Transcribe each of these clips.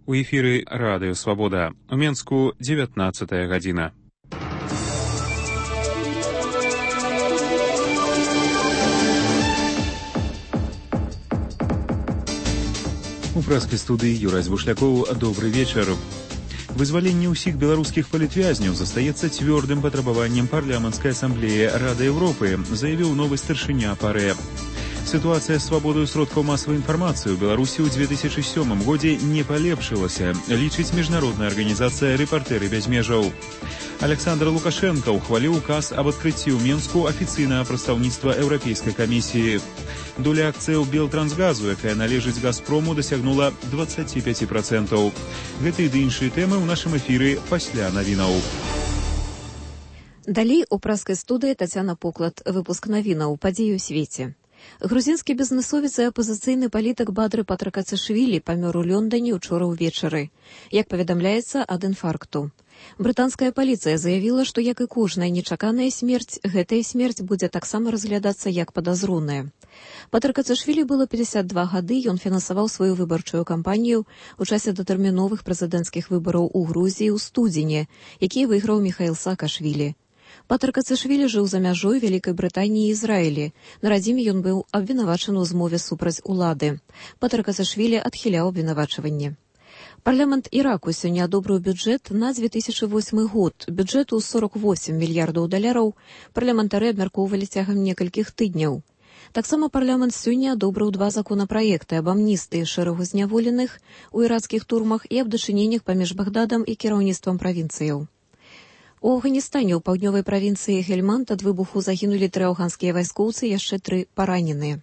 У эфіры Радыё Свабода. У Менску 19 гадзіна. У прэскай студыі Юрась Бушлякоў. Добры вечар. Вызваленне ўсіх беларускіх палітвязняў застаецца цвёрдым патрабаваннем парламенцкай асамблеі Рады Еўропы, заявіў новы старшыня ПАРЭ. Ситуация с свободой сродкаў масавай інфармацыі ў Беларусі ў 2007 годзе не палепшылася, лічыць міжнародная арганізацыя «Рэпартэры без межаў». Александр Лукашенко ухваліў указ об адкрыцці ў Менску афіцыйнага прадстаўніцтва Еўрапейскай камісіі. Доля акцыяў Белтрансгазу, якая належыць Газпрому, дасягнула 25%. Гэты ды іншыя тэмы ў нашым эфіры пасля навінаў. Далей у прэскай студыі Тацяна Поклад. Выпуск навінаў «Падзеі ў свеце». Грузінскі бізнесовец і апозіцыйны палітык Бадры Патракацашвілі памёр у Лёндане ўчора ўвечары. Як паведамляецца, ад інфаркту. Брытанская паліцыя заявіла, што, як і кожная нечаканая смерць, гэтая смерць будзе таксама разглядацца як падазроная. Патракацашвілі было 52 гады, ён фінансаваў сваю выбарчую кампанію ў часе датэрміновых прэзідэнцкіх выбараў у Грузіі ў студзені, які выйграў Міхаіл Саакашвілі. Патракацашвілі жыў за мяжой Вялікай Брытаніі і Ізраілі. На радзіме ён быў абвінавачаны ў змове супраць улады. Патракацашвілі адхіляў абвінавачванне. Парламент Іраку сёння адобрыў бюджэт на 2008 год. Бюджэту 48 мільярдаў даляраў парламентары абмяркоўвалі цягам некалькіх тыдняў. Таксама парламент сёння адобрыў 2 законапраекты аб амністыі шэрагу зняволеных у ірацкіх турмах і аб дачыненнях паміж Багдадам і кіраўніцтвам правінцыяў. У Афганістане ў паўднёвай правінцыі Гельманд ад выбуху загінулі 3 афганскія вайскоўцы, яшчэ 3 параненыя.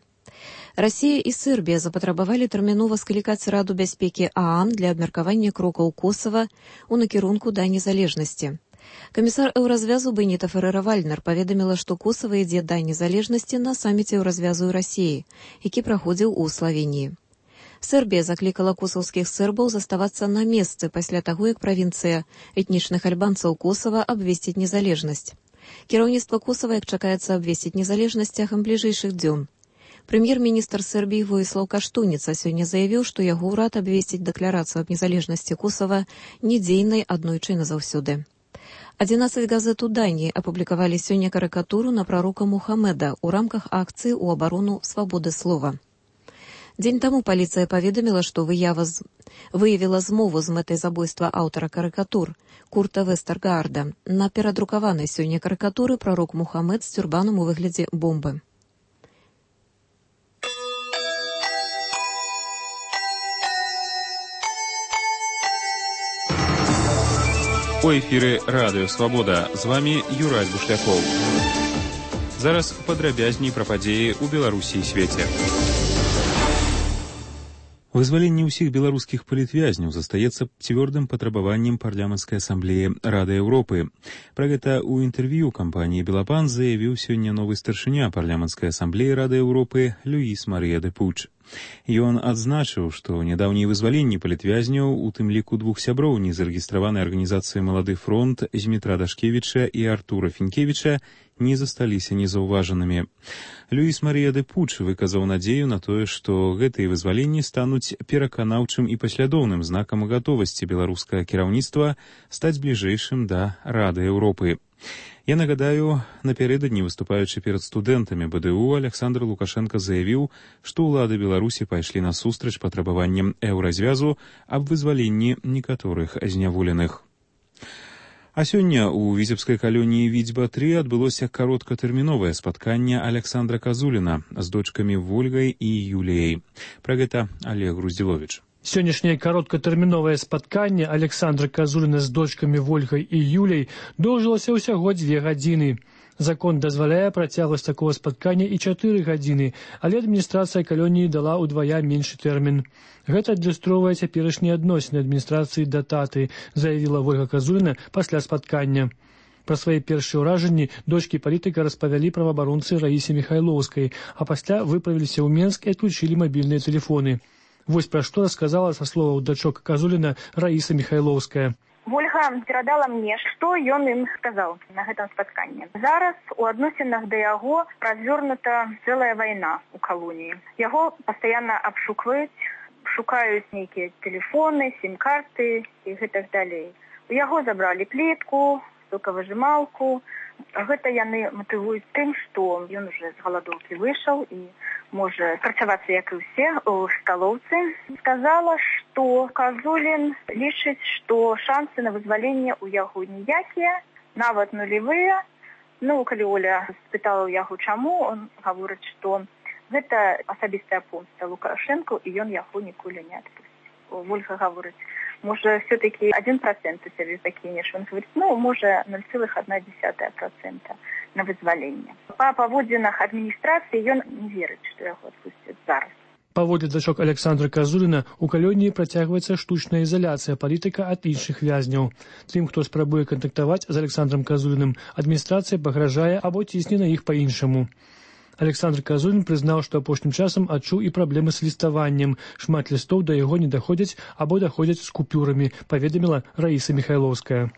Расія і Сербія запатрабавалі тэрмінова склікаць Раду бяспекі ААН для абмеркавання крокаў Косава ў накірунку да незалежнасці. Камісар Еўразвязу Беніта Ферэра-Вальнер паведаміла, што Косава ідзе да незалежнасці на саміце Еўразвязу і Расіі, які праходзіў у Славеніі. Сербія заклікала косаўскіх сербаў заставацца на месцы пасля таго, як правінцыя этнічных альбанцаў Косава абвесціць незалежнасць. Кіраўніцтва Косава, як чакаецца, абвесціць незалежнасць цягам бліжэйшых дзён. Прэм'ер-міністр Сербіі Воіслаў Каштуніца сёння заявіў, што яго ўрад абвесціць дэкларацыю аб незалежнасці Косава недзейнай аднойчы назаўсёды. 11 газет у Даніі апублікавалі сёння карыкатуру на прарока Мухаммеда ў рамках акцыі ў абарону свабоды слова. Дзень таму паліцыя паведаміла, што выявіла змову з мэтай забойства аўтара карыкатур Курта Вестергаарда. На перадрукаванай сёння карыкатуры прарок Мухаммед з тюрбанам у выглядзе бомбы. У эфіры Радыё Свабода. З вамі Юрась Бушлякоў. Зараз падрабязней пра падзеі ў Беларусі і свеце. Вызваленне ўсіх беларускіх палітвязняў застаецца цвёрдым патрабаваннем парламенцкай асамблеі Рады Еўропы. Пра гэта ў інтэрв'ю кампаніі «Белапан» заявіў сёння новы старшыня парламенцкай асамблеі Рады Еўропы Люіс Марыя де Пуч. Ён адзначыў, што нядаўнія вызваленні палітвязняў, у тым ліку 2 сяброў незарэгістраванай арганізацыі «Малады фронт» Змітра Дашкевіча і Артура Фінкевіча, не засталіся незаўважанымі. Люіс Марыя де Пуч выказаў надзею на тое, што гэтыя вызваленні стануць пераканаўчым і паслядоўным знакам гатовасці беларускага кіраўніцтва стаць бліжэйшым да Рады Еўропы. Я нагадаю, напярэдадні выступаючы перад студэнтамі БДУ, Александр Лукашенко заявіў, што ўлады Беларусі пайшлі насустрач патрабаванням Еўразвязу аб вызваленні некаторых зняволеных. А сёння ў віцебскай калоніі Відзьба-3 адбылося кароткатэрміновае спатканне Александра Казуліна з дочкамі Вольгай і Юліяй. Пра гэта Олег Груздзіловіч. Сённяшняе кароткатэрміновае спатканне Александра Казуліна з дочкамі Вольгай і Юляй доўжылася ўсяго 2 гадзіны. Закон дазваляе працягваць такого спаткання і 4 гадзіны, але адміністрацыя калоніі дала ўдвая меншы тэрмін. Гэта адлюстроўвае цяперашнія адносіны адміністрацыі да таты, заявіла Вольга Казуліна пасля спаткання. Пра свае першыя ўражанні дочкі палітыка распавялі праваабаронцы Раісе Міхайлоўскай, а пасля выправіліся ў Менск і адключылі мабільныя тэлефоны. Вось пра што рассказала са словаў дачок Казуліна Раіса Міхайлоўская. Вольга перадала мне, што ён ім сказаў на гэтым спатканні. Зараз у адносінах да яго развернута цэлая вайна ў калоніі. Яго пастаянна абшукваюць, шукаюць нейкія тэлефоны, сім-карты і гэтак далей. У яго забралі плітку, сокавыжималку. Гэта яны матывуюць тым, што ён уже з галадоўкі выйшаў і можа працавацца, як і ўсе, у сталоўцы. Сказала, што Казулін лічыць, што шансы на вызваленне ў яго ніякія, нават нулевыя. Калі Оля спытала ў яго, чаму, он гаворыць, што гэта асабістая помста Лукашэнку, і ён яго ніколі не адпусціць. Вольга гаворыць, можа, все-таки 1% у сябе пакінеш. Он говорит, можа, 0,1% на вызваленне. Па паводзінах адміністрацыі ён не верыць, што яго адпусцяць зараз. Паводле дачок Александра Казуліна, у калоніі працягваецца штучная ізаляцыя палітыка ад іншых вязняў. Тым, хто спрабуе кантактаваць з Александром Казуліным, адміністрацыя пагражае або цісне на іх па-іншаму. Александр Казулін прызнаў, што апошнім часам адчуў і праблемы з ліставаннем. Шмат лістоў да яго не даходзяць або даходзяць з купюрамі, паведаміла Раіса Міхайлоўская.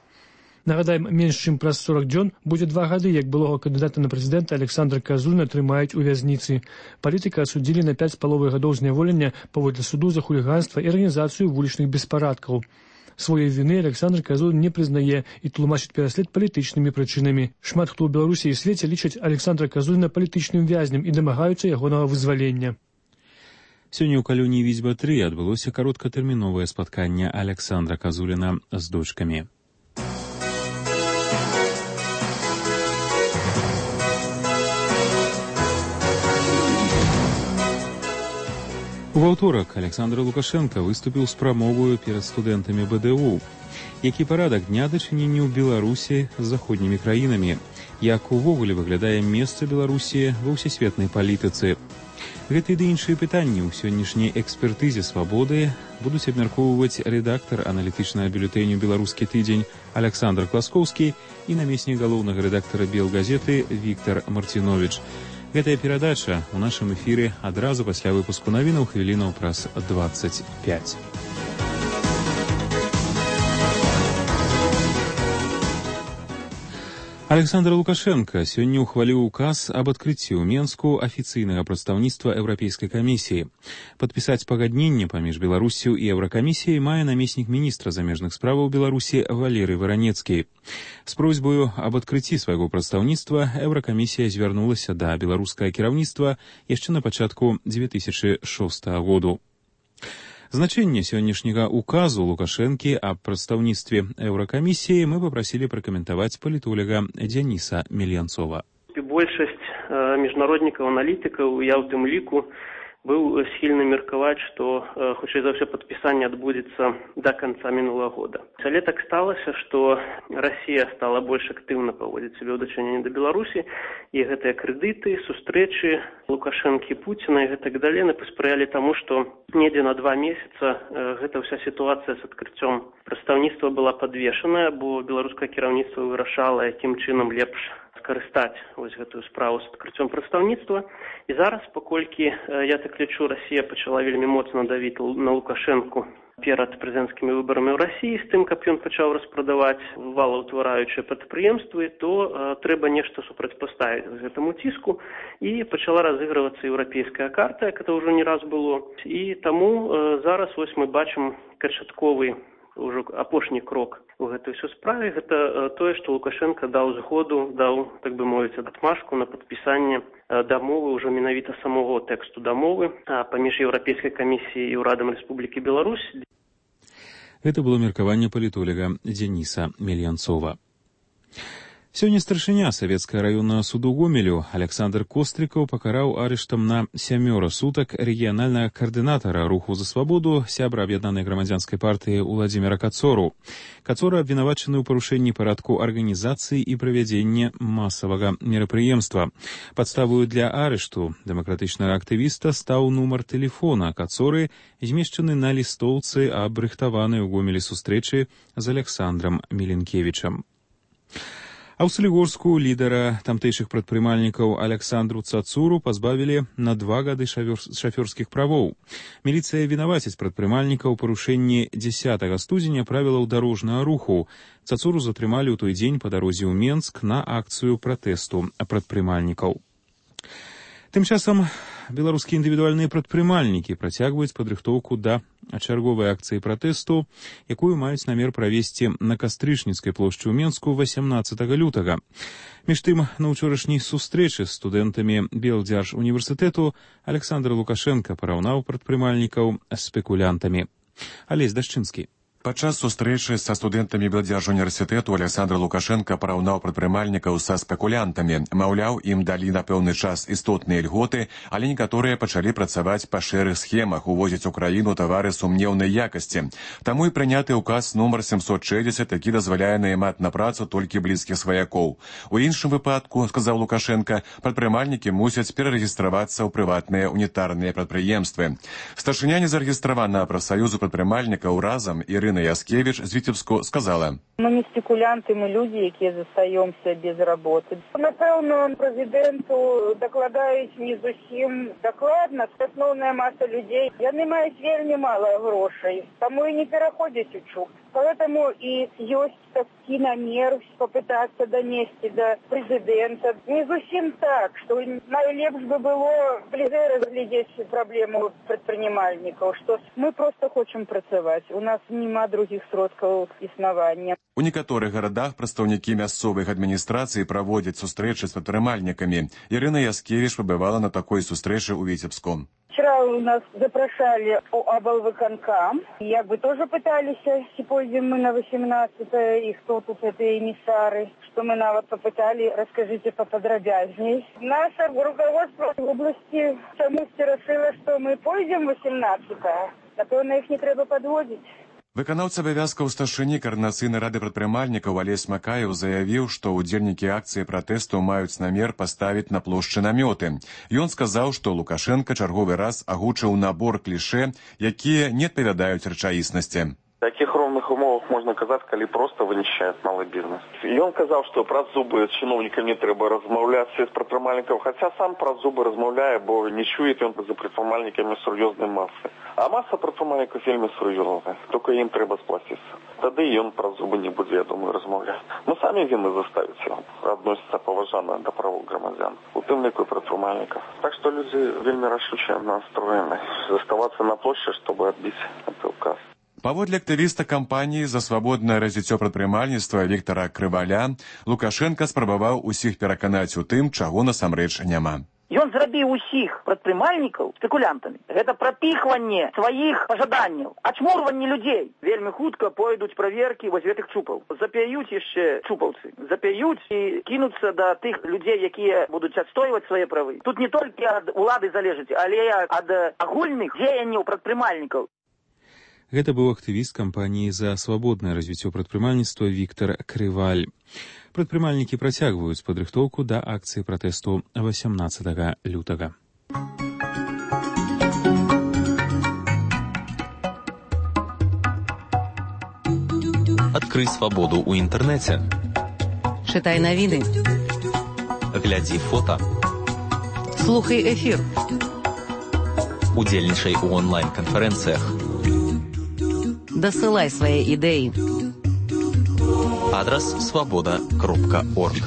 Нагадаем, менш чым праз 40 дзён будзе 2 гады, як былога кандыдата на прэзідэнта Александра Казуліна трымаюць у вязніцы. Палітыка асудзілі на 5,5 гадоў зняволення паводле суду за хуліганства і арганізацыю вулічных беспарадкаў. Сваёй віны Александр Казулін не прызнае і тлумачыць пераслед палітычнымі прычынамі. Шмат хто ў Беларусі і свеце лічаць Александра Казуліна палітычным вязнем і дамагаюцца ягонага вызвалення. Сёння ў калоніі Віцьба-3 адбылося кароткатэрміновае спатканне Александра Казуліна з дочкамі. У аўторак Александр Лукашенко выступіў з прамоваю перад студэнтамі БДУ. Які парадак дня дачынення ў Беларусі з заходнімі краінамі? Як увогуле выглядае месца Беларусі ва ўсесветнай палітыцы? Гэтыя ды іншыя пытанні ў сённяшняй экспертызе «Свабоды» будуць абмяркоўваць рэдактар аналітычнага бюлетэню «Беларускі тыдзень» Александр Класкоўскі і намеснік галоўнага рэдактара «Белгазеты» Віктар Марціновіч. Гэтая перадача ў нашым эфіры адразу пасля выпуску навінаў хвілінаў праз 25. Александр Лукашенко сёння ухваліў указ аб адкрыцці ў Менску афіцыйнага прадстаўніцтва Еўрапейскай камісіі. Падпісаць пагадненне паміж Беларусю і Еўракамісіяй мае намеснік міністра замежных справаў Беларусі Валерый Варанецкі. З просьбаю аб адкрыцці свайго прадстаўніцтва Еўракамісія звярнулася да беларускага кіраўніцтва яшчэ на пачатку 2006 году. Значэнне сённяшняга указу Лукашэнкі аб прадстаўніцтве Еўракамісіі мы папрасілі пракаментаваць палітолага Дзяніса Мельянцова. Большасць міжнароднікаў, аналітыкаў, я ў тым ліку, быў схільны меркаваць, што хутчэй за ўсё падпісанне адбудзецца да канца мінулага года. Але так сталася, што Расія стала больш актыўна паводзіць сябе ў дачыненні да Беларусі, і гэтыя крэдыты, сустрэчы Лукашэнкі, Пуціна і гэтак далей паспрыялі таму, што недзе на 2 месяца гэта ўся сітуацыя з адкрыццём прадстаўніцтва была падвешаная, бо беларускае кіраўніцтва вырашала, якім чынам лепш скарыстаць гэтую справу з адкрыццём прадстаўніцтва. І зараз, паколькі, я так лічу, Расія пачала вельмі моцна давіць на Лукашэнку перад прэзідэнцкімі выбарамі ў Расіі з тым, каб ён пачаў распрадаваць валаўтвараючыя прадпрыемствы, то трэба нешта супрацьпаставіць гэтаму ціску, і пачала разыгрывацца еўрапейская карта, як это ўжо не раз было. І таму зараз мы бачым канчатковы ўжо апошні крок у гэтай усё справе. Гэта тое, што Лукашенко даў згоду, даў, так бы мовіць, адмашку на падпісанне дамовы, ўжо менавіта самого тэксту дамовы паміж Еўрапейскай камісіяй і ўрадам Рэспублікі Беларусь. Гэта было меркаванне палітолага Дзяніса Мельянцова. Сёння старшыня Савецкага раённага суду Гомелю Александр Кострыкаў пакараў арыштам на 7 сутак рэгіянальнага каардынатара руху за свабоду, сябра аб'яднанай грамадзянскай партыі Уладзіміра Кацору. Кацора абвінавачаны ў парушэнні парадку арганізацыі і правядзення масавага мерапрыемства. Падставою для арышту дэмакратычнага актывіста стаў нумар тэлефона Кацоры, змешчаны на лістоўцы аб рыхтаванай у Гомелі сустрэчы з Александрам Міленкевічам. А ў Салігорску лідара тамтэйшых прадпрымальнікаў Александру Цацуру пазбавілі на 2 гады шафёрскіх правоў. Міліцыя вінаваціць прадпрымальніка ў парушэнні 10 студзеня правілаў дарожнага руху. Цацуру затрымалі ў той дзень па дарозе ў Менск на акцыю пратэсту прадпрымальнікаў. Тым часам беларускія індывідуальныя прадпрымальнікі працягваюць падрыхтоўку да чарговай акцыі пратэсту, якую маюць намер правесці на Кастрычніцкай плошчы ў Менску 18 лютага. Між тым, на ўчорашняй сустрэчы з студэнтамі Белдзяржуніверсітэту Александр Лукашенко параўнаў прадпрымальнікаў з спекулянтамі. Алесь Дашчынскі. Падчас сустрэчы са студэнтамі Белдзяржуніверсітэту Александр Лукашенко параўнаў прадпрымальнікаў са спекулянтамі. Маўляў, ім далі на пэўны час істотныя льготы, але некаторыя пачалі працаваць па шэрых схемах, увозіць у краіну тавары сумнеўнай якасці. Таму і прыняты ўказ нумар 760, які дазваляе наймаць на працу толькі блізкіх сваякоў. У іншым выпадку, сказаў Лукашенко, прадпрымальнікі мусяць перарэгістравацца ў прыватныя унітарныя прадпрыемствы. Старшыня незарэгістраванага прафсаюзу прадпрымальнікаў разам Ірына Яскевіч з Віцебску сказала: Мы не спекулянты, мы люди, якія застаёмся без работы. Напэўна, прэзідэнту дакладаюць не зусім дакладна. Асноўная маса людзей, яны маюць вельмі мала грошай, таму і не пераходзяць у чуб. Поэтому и есть такие намер попытаться донести до президента. Не совсем так, что найлепш бы было ближе разглядеть проблему предпринимальников, что мы просто хотим працаваць. У нас нема других сродкаў існавання. У некаторых гарадах прадстаўнікі мясцовых адміністрацый праводзяць сустрэчы з прадпрымальнікамі. Ірына Яскевіч пабывала на такой сустрэчы ў Віцебску. Вчера у нас запрашали облвыканкам. Як бы тоже пытались, если пойдем мы на 18-е, и кто тут это эмиссары, что мы нават попытали, расскажите поподробязней. Наше руководство в области чамусьці решило, что мы пойдем 18-е. Напевно, их не треба подводить. Выканаўца абавязкаў старшыні каардынацыйнай рады прадпрымальнікаў Алесь Макаеў заявіў, што ўдзельнікі акцыі пратэсту маюць намер паставіць на плошчы намёты. Ён сказаў, што Лукашенко чарговы раз агучыў набор клішэ, якія не адпавядаюць рэчаіснасці. Таких ровных умовах можна казаць, калі проста вынішчаюць малы бізнес. Ён казаў, што праз зубы з чыноўнікамі трэба размаўляць з прадпрымальнікаў, хаця сам праз зубы размаўляе, бо не чуе ён за прадпрымальнікамі сур'ёзнай масы. А маса прадпрымальнікаў вельмі сур'ёзная, толькі ім трэба сплаціцца. Тады ён праз зубы не будзе, я думаю, размаўляць. Мы самі вінны заставіць яго. Адносіцца паважана да правоў грамадзян, у тым ліку прадпрымальнікаў. Так што людзі вельмі рашуча настроены заставацца на плошчы, чтобы адбіць гэты ўказ. Паводле актывіста кампаніі за свабоднае развіццё прадпрымальніцтва Віктара Крываля, Лукашенка спрабаваў усіх пераканаць у тым, чаго насамрэч няма. Ён зрабіў усіх прадпрымальнікаў спекулянтамі. Гэта прапіхванне сваіх пажаданняў, ачмурванне людзей. Вельмі хутка пойдуць праверкі вось гэтых чупаў. Запяюць яшчэ чупаўцы. Запяюць і кінуцца да тых людзей, якія будуць адстойваць свае правы. Тут не толькі ад улады залежыць, але ад агульных дзеянняў прадпрымальнікаў. Гэта быў актывіст кампаніі за свабоднае развіццё прадпрымальніцтва Віктар Крываль. Прадпрымальнікі працягваюць падрыхтоўку да акцыі пратэсту 18 лютага. Адкрый свабоду ў інтэрнэце. Чытай навіны. Глядзі фота. Слухай эфір. Удзельнічай у онлайн-канферэнцыях. Дасылай свае ідэі. Адрас свабода.орг.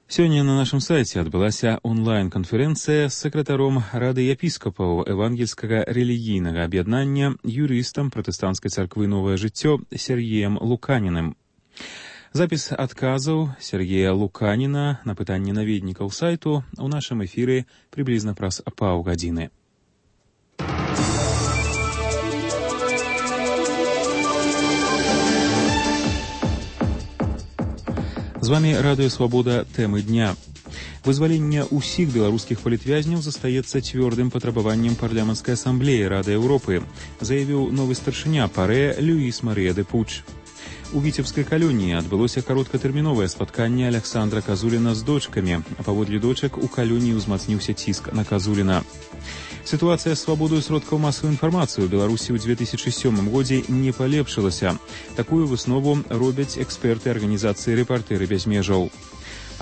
Сёння на нашым сайце адбылася онлайн-канферэнцыя з сакратаром Рады епіскапаў Евангельскага рэлігійнага аб'яднання, юрыстам пратэстанцкай царквы «Новае жыццё» Сергеем Луканіным. Запіс адказаў Сергея Луканіна на пытанні наведнікаў сайту ў нашым эфіры прыблізна праз паўгадзіны. З вами Радыё Свабода. Тэмы дня. Вызваленне ўсіх беларускіх палітвязняў застаецца цвёрдым патрабаваннем парламенцкай асамблеі Рады Еўропы, заявіў новы старшыня ПАРЭ Люіс Марыя де Пуч. У Віцебскай калоніі адбылося кароткатэрміновае спатканне Александра Казуліна з дочкамі, а паводле дочак у калоніі ўзмацніўся ціск на Казуліна. Сітуацыя з свабодаю сродкаў масавай інфармацыі ў Беларусі ў 2007 годзе не палепшылася. Такую выснову робяць эксперты арганізацыі «Рэпартэры без межаў».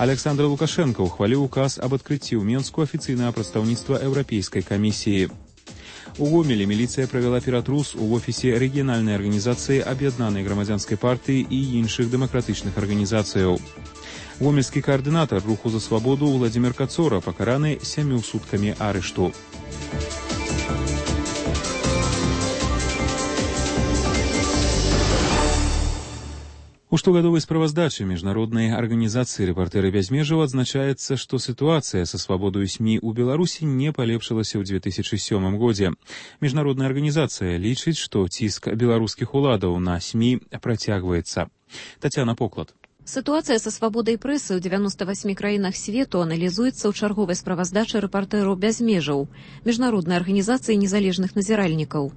Александр Лукашенко ухваліў указ аб адкрыцці ў Менску афіцыйнага прадстаўніцтва Еўрапейскай камісіі. У Гомеле милиция провела ператрус у офисе региональной организации Об'єднаної громадянской партии и інших демократичных организаций. Гомельский координатор руху за свободу Владимир Кацора покараны 7 сутками арешту. У штогадовой справаздачы международной организации «Репортеры без межаў» адзначаецца, што ситуация со свободой СМИ у Беларуси не полепшылася ў 2007 годзе. Международная организация лічыць, што ціск беларускіх уладаў на СМИ працягваецца. Татьяна Поклад. Ситуация со свободой прессы ў 98 краінах свету аналізуецца ў чарговай справаздачы «Рэпартэраў без межаў» Международной организации незалежных назіральнікаў.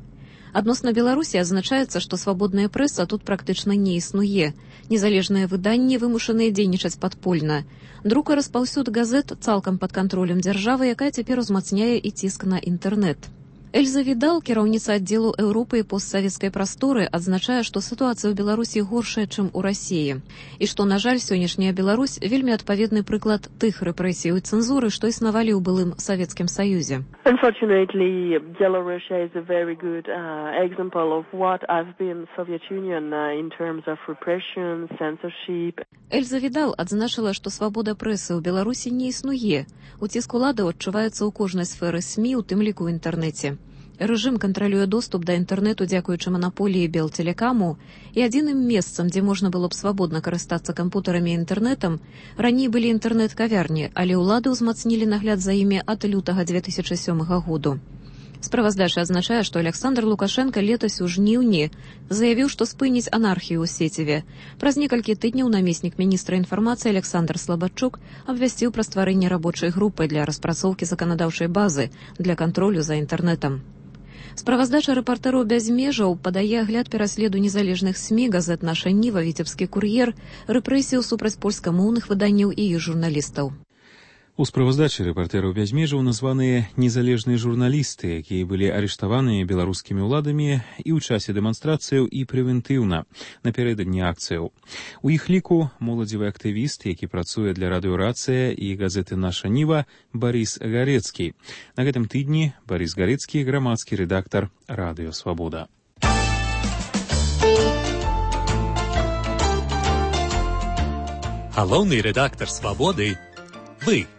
Адносна Беларусі азначаецца, што свабодная прэса тут практычна не існуе. Незалежныя выданні вымушаныя дзейнічаць падпольна. Друк і распаўсюд газет цалкам пад кантролем дзяржавы, якая цяпер узмацняе і ціск на інтэрнэт. Эльза Відал, кіраўніца аддзелу Еўропы і постсавецкай прасторы, адзначае, што сітуацыя ў Беларусі горшая, чым у Расіі. І што, на жаль, сённяшняя Беларусь вельмі адпаведны прыклад тых рэпрэсій і цэнзуры, што існавалі ў былым Савецкім Саюзе. Unfortunately, Belarus is a very good example of what has been Soviet Union in terms of repression, censorship. Эльза Відал адзначыла, што свабода прэсы ў Беларусі не існуе. Уціск уладаў адчуваецца ў кожнай сферы СМІ, у тым ліку ў інтэрнэце. Рэжым кантралюе доступ да інтэрнэту дзякуючы манаполіі Белтэлекаму, і адзіным месцам, дзе можна было б свабодна карыстацца кампутарамі і інтэрнэтам, раней былі інтэрнэт-кавярні, але ўлады ўзмацнілі нагляд за імі ад лютага 2007 году. Справаздача азначае, што Александр Лукашенко летась у жніўні заявіў, што спыніць анархію ў сеціве. Праз некалькі тыдняў намеснік міністра інфармацыі Александр Слабадчук абвясціў пра стварэнне рабочай групы для распрацоўкі заканадаўчай базы для кантролю за інтэрнэтам. Справаздача «Рэпартэраў без межаў» падае агляд пераследу незалежных СМІ, газет «Наша Ніва», «Віцебскі кур'ер», рэпрэсію супраць польскамоўных выданняў і іх журналістаў. У справаздачы «Рэпартэраў без межаў» названыя незалежныя журналісты, якія былі арыштаваныя беларускімі ўладамі і ў часе дэманстрацыяў і прэвентыўна напярэдадні акцыяў. У іх ліку моладзевы актывіст, які працуе для радыёрацыя і газеты «Наша Ніва» Барыс Гарэцкі. На гэтым тыдні Барыс Гарэцкі, грамадскі рэдактар «Радыё Свабода». Галоўны рэдактар «Свабоды» — вы.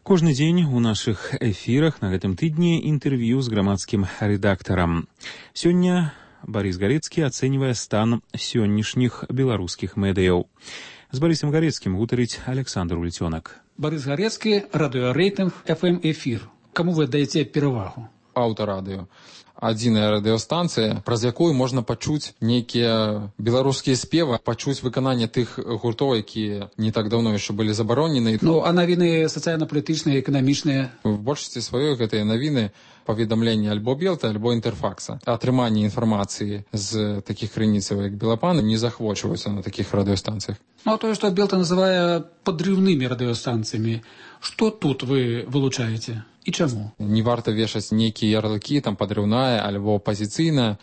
Кожны дзень у нашых эфірах на гэтым тыдні інтэрв'ю з грамадскім рэдактарам. Сёння Барыс Гарэцкі ацэньвае стан сённяшніх беларускіх медыяў. З Барысам Гарэцкім гутарыць Александр Ульцёнак. Барыс Гарэцкі, радыёрэйтынг FM-эфір. Каму вы даеце перавагу? Аўтарадыё. Адзіная радыёстанцыя, праз якую можна пачуць нейкія беларускія спевы, пачуць выкананне тых гуртоў, якія не так даўно яшчэ былі забаронены. Ну, а навіны сацыяльна-палітычныя, эканамічныя? В большасці сваёй гэтыя навіны паведамленні альбо Белта, альбо Інтэрфакса. Атрыманне інфармацыі з такіх крыніцаў, як Белапан, не захвочваюцца на такіх радыёстанцыях. Ну, а тое, што Белта называе падрыўнымі радыёстанцыямі, што тут вы вылучаеце? І чаму? Не варта вешаць нейкія ярлыкі, там падрыўная альбо апазіцыйная.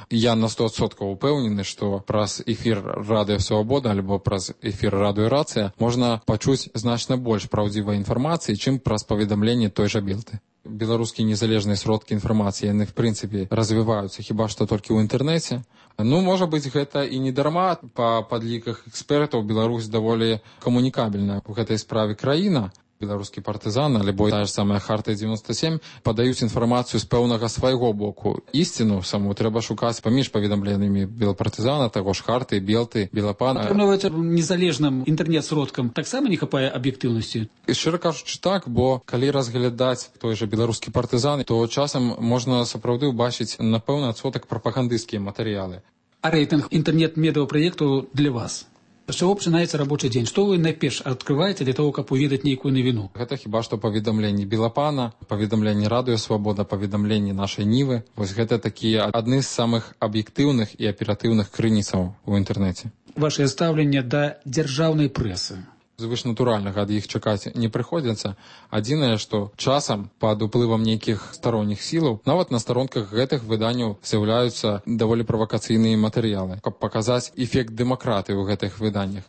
Я на 100% упэўнены, што праз эфір Радыё Свабода альбо праз эфір радыёрацыя можна пачуць значна больш праўдзівай інфармацыі, чым праз паведамленне той жа Белты. Беларускія незалежныя сродкі інфармацыі, яны, в прынцыпе, развіваюцца хіба што толькі ў інтэрнэце. Ну, можа быць, гэта і не дарма. Па падліках экспертаў Беларусь даволі камунікабельная ў гэтай справе краіна. Беларускі партызан, альбо тая ж самая Хартыя 97, падаюць інфармацыю з пэўнага свайго боку. Ісціну саму трэба шукаць паміж паведамленнямі белапартызана, таго ж Харты, Белты, Белапана. Атрымліваецца, незалежным інтэрнэт-сродкам таксама не хапае аб'ектыўнасці? І шчыра кажучы так, бо калі разглядаць той жа беларускі партызан, то часам можна сапраўды ўбачыць на пэўны адсотак прапагандысцкія матэрыялы. А рэйтынг інтэрнэт-медыапраекту для вас? З чаго пачынаецца рабочы дзень? Што вы найперш адкрываеце для того, каб уведаць нейкую навіну? Гэта хіба што паведамленні Белапана, паведамленні Радыё Свабода, паведамленні Нашай Нівы. Вось гэта такія адны з самых аб'ектыўных і аператыўных крыніцаў у інтэрнэце. Вашае стаўленне да дзяржаўнай прэсы? Звышнатуральнага ад іх чакаць не прыходзіцца. Адзінае, што часам пад уплывам нейкіх старонніх сілаў нават на старонках гэтых выданняў з'яўляюцца даволі правакацыйныя матэрыялы, каб паказаць эфект дэмакратыі ў гэтых выданнях.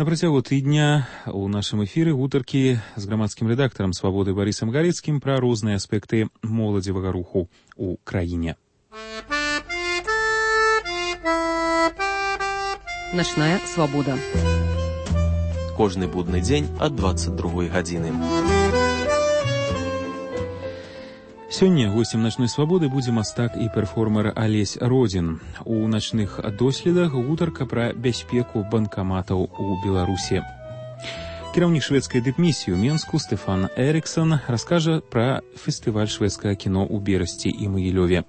На працягу тыдня у нашым эфіры гутаркі з грамадскім рэдактарам «Свабоды» Барысам Галецкім пра розныя аспекты моладзевага руху ў краіне. Начная свабода. Кожны будны дзень ад 22 гадзіны. Сёння госцем начной свабоды будзе мастак і перформер Алесь Родзін. У начных доследах гутарка пра бяспеку банкаматаў у Беларусі. Кіраўнік шведскай дыпмісіі ў Менску Стефан Эриксон раскажа пра фестываль шведскага кіно ў Берасці і Магілёве.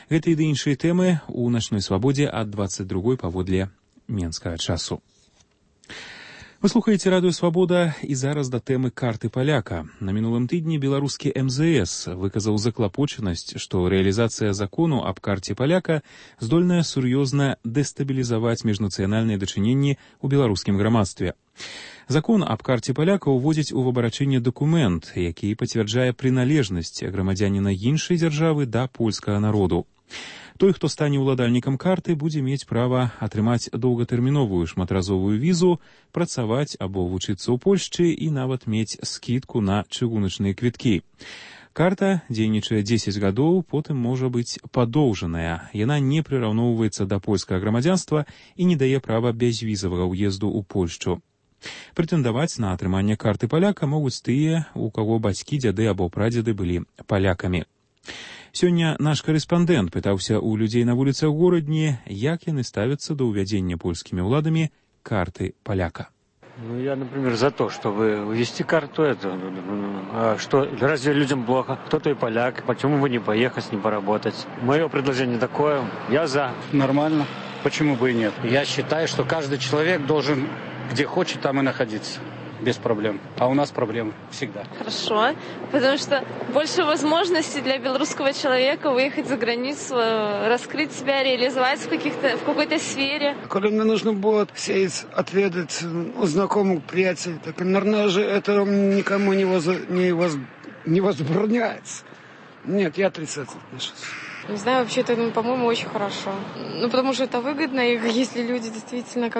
Гэта і іншыя тэмы у начной свабодзе ад 22 паводле менскага часу. Вы слухаеце радыё «Свабода» і зараз да тэмы карты паляка. На мінулым тыдні беларускі МЗС выказаў заклапочанасць, што рэалізацыя закону аб карце паляка здольная сур'ёзна дэстабілізаваць міжнацыянальныя дачыненні ў беларускім грамадстве. Закон аб карце паляка ўводзіць у абарачэнне дакумент, які пацвярджае прыналежнасць грамадзяніна іншай дзяржавы да польскага народу. Той, хто стане ўладальнікам карты, будзе мець права атрымаць доўгатэрміновую шматразовую візу, працаваць або вучыцца ў Польшчы і нават мець скідку на чыгуначныя квіткі. Карта дзейнічае 10 гадоў, потым можа быць падоўжаная. Яна не прыраўноўваецца да польскага грамадзянства і не дае права бязвізавага ўезду ў Польшчу. Прэтэндаваць на атрыманне карты паляка могуць тыя, у каго бацькі, дзяды або прадзеды былі палякамі. Сёння наш корэспандэнт пытаўся ў людзей на вуліцах горадні, як яны ставяцца да ўвядзення польскімі ўладамі карты паляка. Я, например, за то, чтобы ввести карту. А что, разве людям плохо? Кто-то и поляк. Почему бы не поехать, не поработать? Мое предложение такое. Я за. Нормально. Почему бы и нет? Я считаю, что каждый человек должен, где хочет, там и находиться. Без проблем. А у нас проблемы всегда. Хорошо, потому что больше возможностей для белорусского человека выехать за границу, раскрыть себя, реализовать в какой-то сфере. Когда мне нужно было сесть, отведать у знакомых приятелей, так, наверное же, это никому не возбраняется. Нет, я отрицательно отношусь. Не знаю, вообще это, по-моему, очень хорошо. Потому что это выгодно, и если люди действительно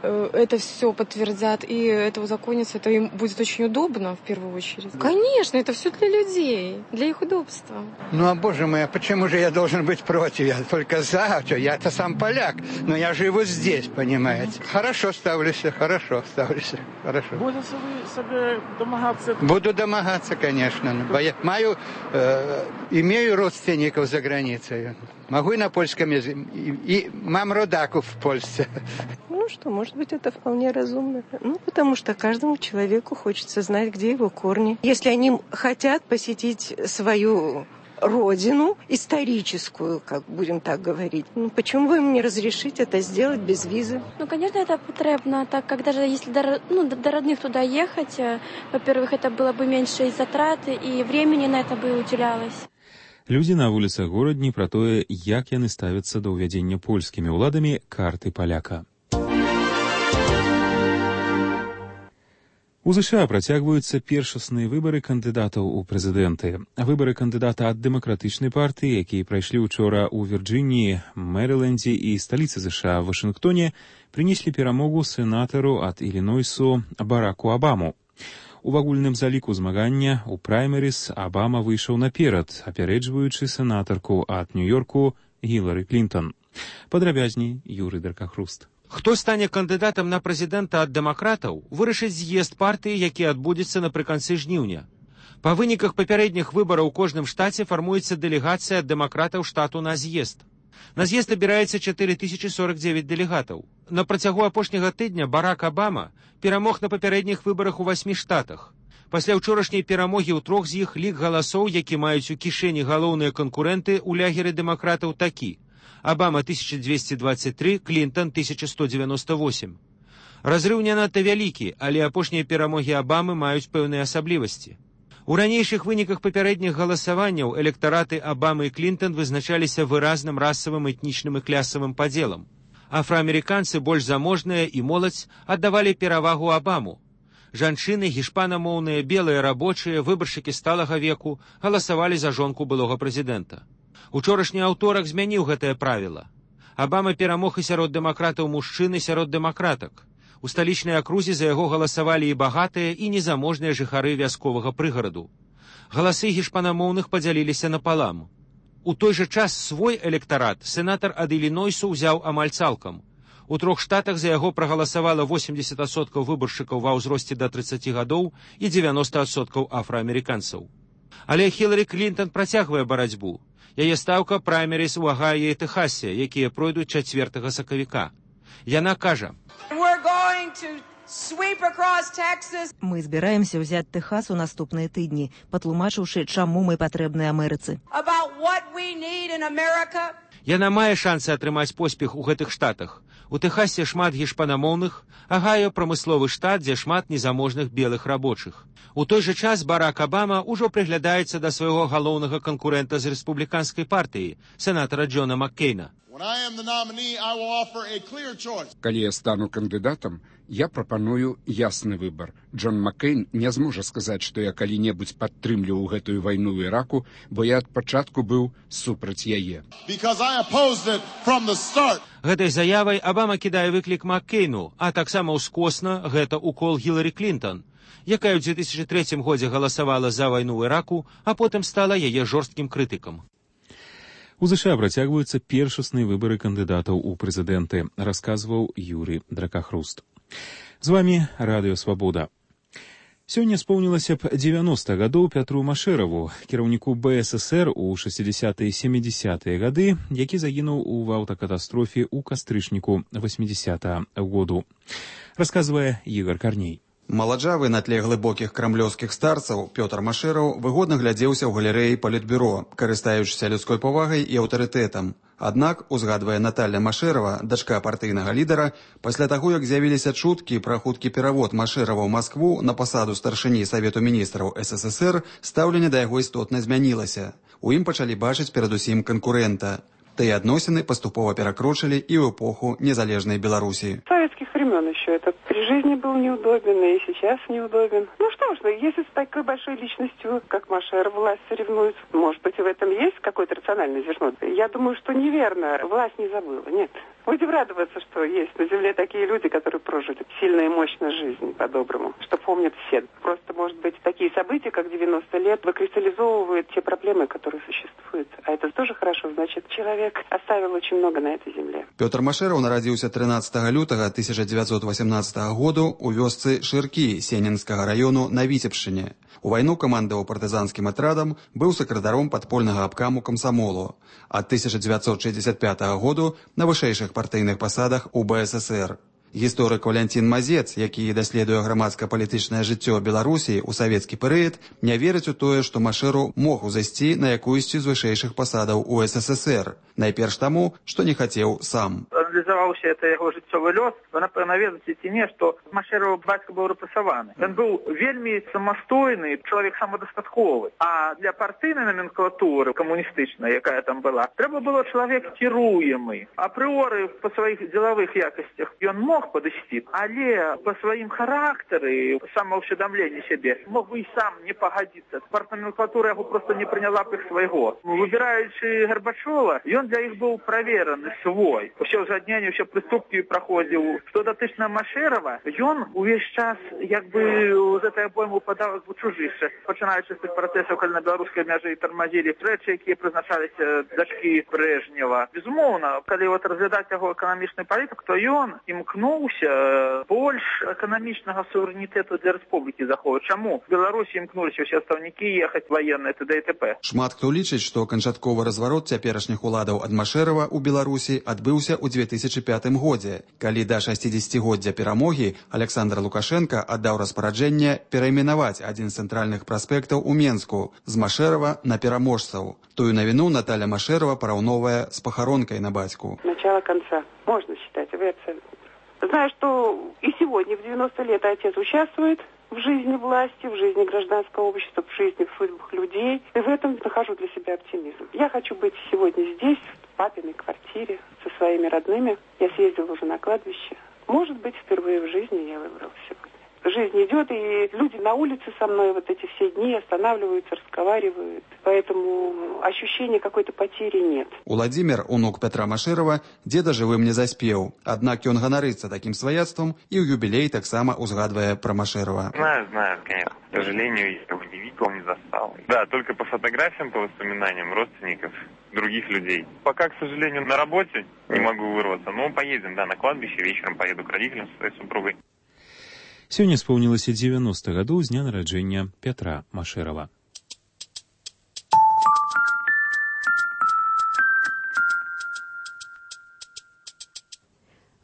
это все подтвердят и это узаконится, это им будет очень удобно в первую очередь. Конечно, это все для людей, для их удобства. А боже мой, а почему же я должен быть против? Я только за, я-то сам поляк, но я живу здесь, понимаете. Хорошо ставлюсь. Хорошо. Будете вы себе домагаться? Буду домагаться, конечно. Имею родственников за границей. Могу и на польском языке. И мам родаков в Польше. Может быть, это вполне разумно. Потому что каждому человеку хочется знать, где его корни. Если они хотят посетить свою родину историческую, как будем так говорить, почему бы им не разрешить это сделать без визы? Конечно, это потребно, так как даже если до родных туда ехать, во-первых, это было бы меньше и затраты, и времени на это бы уделялось. Людзі на вуліцах горадні пра тое, як яны ставяцца да ўвядзення польскімі ўладамі карты паляка. У США працягваюцца першасныя выбары кандыдатаў у прэзідэнты. Выбары кандыдата ад дэмакратычнай партыі, якія прайшлі учора ў Вірджыніі, Мэрылендзе і сталіцы США Вашынгтоне, прынеслі перамогу сенатару ад Ілінойсу Бараку Абаму. У агульным заліку змагання ў праймерыс Абама выйшаў наперад, апярэджваючы сенатарку ад Нью-Йорку Гілары Клінтон. Падрабязней Юрый Даркахруст. Хто стане кандыдатам на прэзідэнта ад дэмакратаў, вырашыць з'езд партыі, які адбудзецца напрыканцы жніўня. Па выніках папярэдніх выбараў у кожным штаце фармуецца дэлегацыя ад дэмакратаў штату на з'езд. На з'езд абіраецца 4049 дэлегатаў. На працягу апошняга тыдня Барак Абама перамог на папярэдніх выбарах у 8 штатах. Пасля ўчорашняй перамогі ў 3 з іх лік галасоў, які маюць у кішэні галоўныя канкурэнты ў лягеры дэмакратаў такі: Абама 1223, Клінтон 1198. Разрыў не надта вялікі, але апошнія перамогі Абамы маюць пэўныя асаблівасці. У ранейшых выніках папярэдніх галасаванняў электараты Абамы і Клінтон вызначаліся выразным расавым, этнічным і клясавым падзелам. Афраамерыканцы, больш заможныя і моладзь аддавалі перавагу Абаму. Жанчыны, гішпанамоўныя, белыя рабочыя, выбаршчыкі сталага веку галасавалі за жонку былога прэзідэнта. Учорашні аўторак змяніў гэтае правіла. Абама перамог і сярод дэмакратаў мужчын, і сярод дэмакратак. У сталічнай акрузе за яго галасавалі і багатыя, і незаможныя жыхары вясковага прыгараду. Галасы гішпанамоўных падзяліліся напалам. У той жа час свой электарат сенатар ад Ілінойсу ўзяў амаль цалкам. У 3 штатах за яго прагаласавала 80% выбаршчыкаў ва ўзросце да 30 гадоў і 90% афраамерыканцаў. Але Хіларі Клінтон працягвае барацьбу. Яе стаўка праймеріс у Агаі і Тэхасе, якія пройдуць 4 сакавіка. Яна кажа: Мы збіраемся ўзяць Тэхас у наступныя тыдні, патлумачыўшы, чаму мы патрэбны Амерыцы. Яна мае шансы атрымаць поспех у гэтых штатах. У Тэхасе шмат гішпанамоўных, Агайо прамысловы штат, дзе шмат незаможных белых рабочых. У той жа час Барак Абама ўжо прыглядаецца да свайго галоўнага канкурэнта з рэспубліканскай партыі, сенатара Джона Маккейна. Калі я стану кандыдатам, я прапаную ясны выбар. Джон Маккейн не зможа сказаць, што я калі-небудзь падтрымліваў гэтую вайну ў Іраку, бо я ад пачатку быў супраць яе. Гэтай заявай Абама кідае выклік Маккейну, а таксама ўскосна гэта укол Хіларі Клінтон, якая ў 2003 годзе галасавала за вайну ў Іраку, а потым стала яе жорсткім крытыкам. У США працягваюцца першасныя выбары кандыдатаў у прэзідэнты, расказваў Юрый Дракахруст. З вамі Радыё Свабода. Сёння споўнілася б 90 гадоў Пятру Машэраву, кіраўніку БССР у 60-е і 70-е гады, які загінуў у аўтакатастрофе ў кастрычніку 80-го году. Расказвае Ігор Карней. Маладжавы на тле глыбокіх крамлёўскіх старцаў Пётр Машэраў выгодна глядзеўся ў галерэі палітбюро, карыстаючыся людской павагай і аўтарытэтам. Аднак, узгадвае Наталья Машэрава, дачка партыйнага лідара, пасля таго, як з'явіліся чуткі пра хуткі перавод Машэрава ў Маскву на пасаду старшыні Савету міністраў СССР, стаўленне да яго істотна змянілася. У ім пачалі бачыць перадусім канкурэнта. Тыя адносіны паступова перакрочылі і ў эпоху незалежнай Беларусі. Советских времен еще это при жизни был неудобен, и сейчас неудобен. Ну что ж, если с такой большой личностью, как Машеров, власть соревнуется, может быть, в этом есть какое-то рациональное зерно. Я думаю, что неверно. Власть не забыла, нет. Будем радоваться, что есть на земле такие люди, которые прожили сильно и мощно жизнь по-доброму, что помнят все. Просто, может быть, такие события, как 90 лет, выкристаллизовывают те проблемы, которые существуют. А это тоже хорошо, значит, человек оставил очень много на этой земле. Пётр Машэраў нарадзіўся 13 лютага 1918 году у вёсцы Шыркі Сенінскага раёну на Віцебшчыне. У вайну камандаваў партызанскім атрадам, быў сакратаром падпольнага абкаму камсамолу. Ад 1965 году на вышэйшых партыйных пасадах у БССР. Гісторык Валянцін Мазец, які даследуе грамадска-палітычнае жыццё Беларусі ў савецкі перыяд, не верыць у тое, што Машэру мог узайсці на якуюсьці з вышэйшых пасадаў у СССР. Найперш таму, што не хацеў сам. Аналізаваўся это яго жыццёвы лёс, вы, напэўна, ведаеце ці не, што Машэраў бацька быў рэпрэсаваны. Ён быў вельмі самастойны, чалавек самадастатковы. А для партыйнай номенклатуры камуністычнай, якая там была, трэба было чалавек кіруемы. Апрыоры па сваіх дзелавых якасцях ён мог падысці, але па сваім характары, самаўсведамленні сябе, мог бы і сам не пагадзіцца. Партноменклатура яго проста не прыняла б іх свайго. Выбіраючы Гарбачова, ён для іх быў правераны свой. Усё узгадненне, ўсё прыступкі праходзіў. Што датычна Машэрава, ён увесь час як бы з гэтай абоймы упадаў у чужышча. Пачынаючы з тых працэсаў, калі на беларускай мяжы тармазілі рэчы, якія прызначаліся дачкі Брэжнева. Безумоўна, калі разглядаць яго эканамічны палітык, то ён імкнуўся больш эканамічнага суверэнітэту для рэспублікі заховаць. Чаму? В Беларусі імкнуліся ўсе астаўнікі ехаць ваенныя т.д. і т.п. Шмат хто лічыць, што канчатковы разварот цяперашніх уладаў ад Машэрава ў Беларусі адбыўся ў 2005 годзе, калі да 60-годдзя перамогі Александр Лукашенко аддаў распараджэнне перайменаваць адзін з цэнтральных праспектаў у Менску з Машэрава на пераможцаў. Тую навіну Наталья Машэрава параўноўвае з пахаронкай на бацьку. Начало конца. Можно считать, вы абсолютно. Знаю, что и сегодня, в 90 лет, отец участвует в жизни власти, в жизни гражданского общества, в жизни, в судьбах людей. И в этом нахожу для себя оптимизм. Я хочу быть сегодня здесь, в папиной квартире, со своими родными. Я съездила уже на кладбище. Может быть, впервые в жизни я выбрала сегодня. жизнь идет, и люди на улице со мной вот эти все дни останавливаются, разговаривают. Поэтому ощущения какой-то потери нет. Уладзімір, унук Петра Машэрава, деда жывым не заспеў. Аднак ён ганарыцца такім сваяцтвам і ў юбілей таксама узгадвае пра Машэрава. Знаю, конечно. К сожалению, я его не видел, не застал. Да, только по фотографиям, по воспоминаниям родственников, других людей. Пока, к сожалению, на работе не могу вырваться, но поедем, да, на кладбище, вечером поеду к родителям со своей супругой. Сёння споўнілася 90 гадоў з дня нараджэння Петра Машэрава.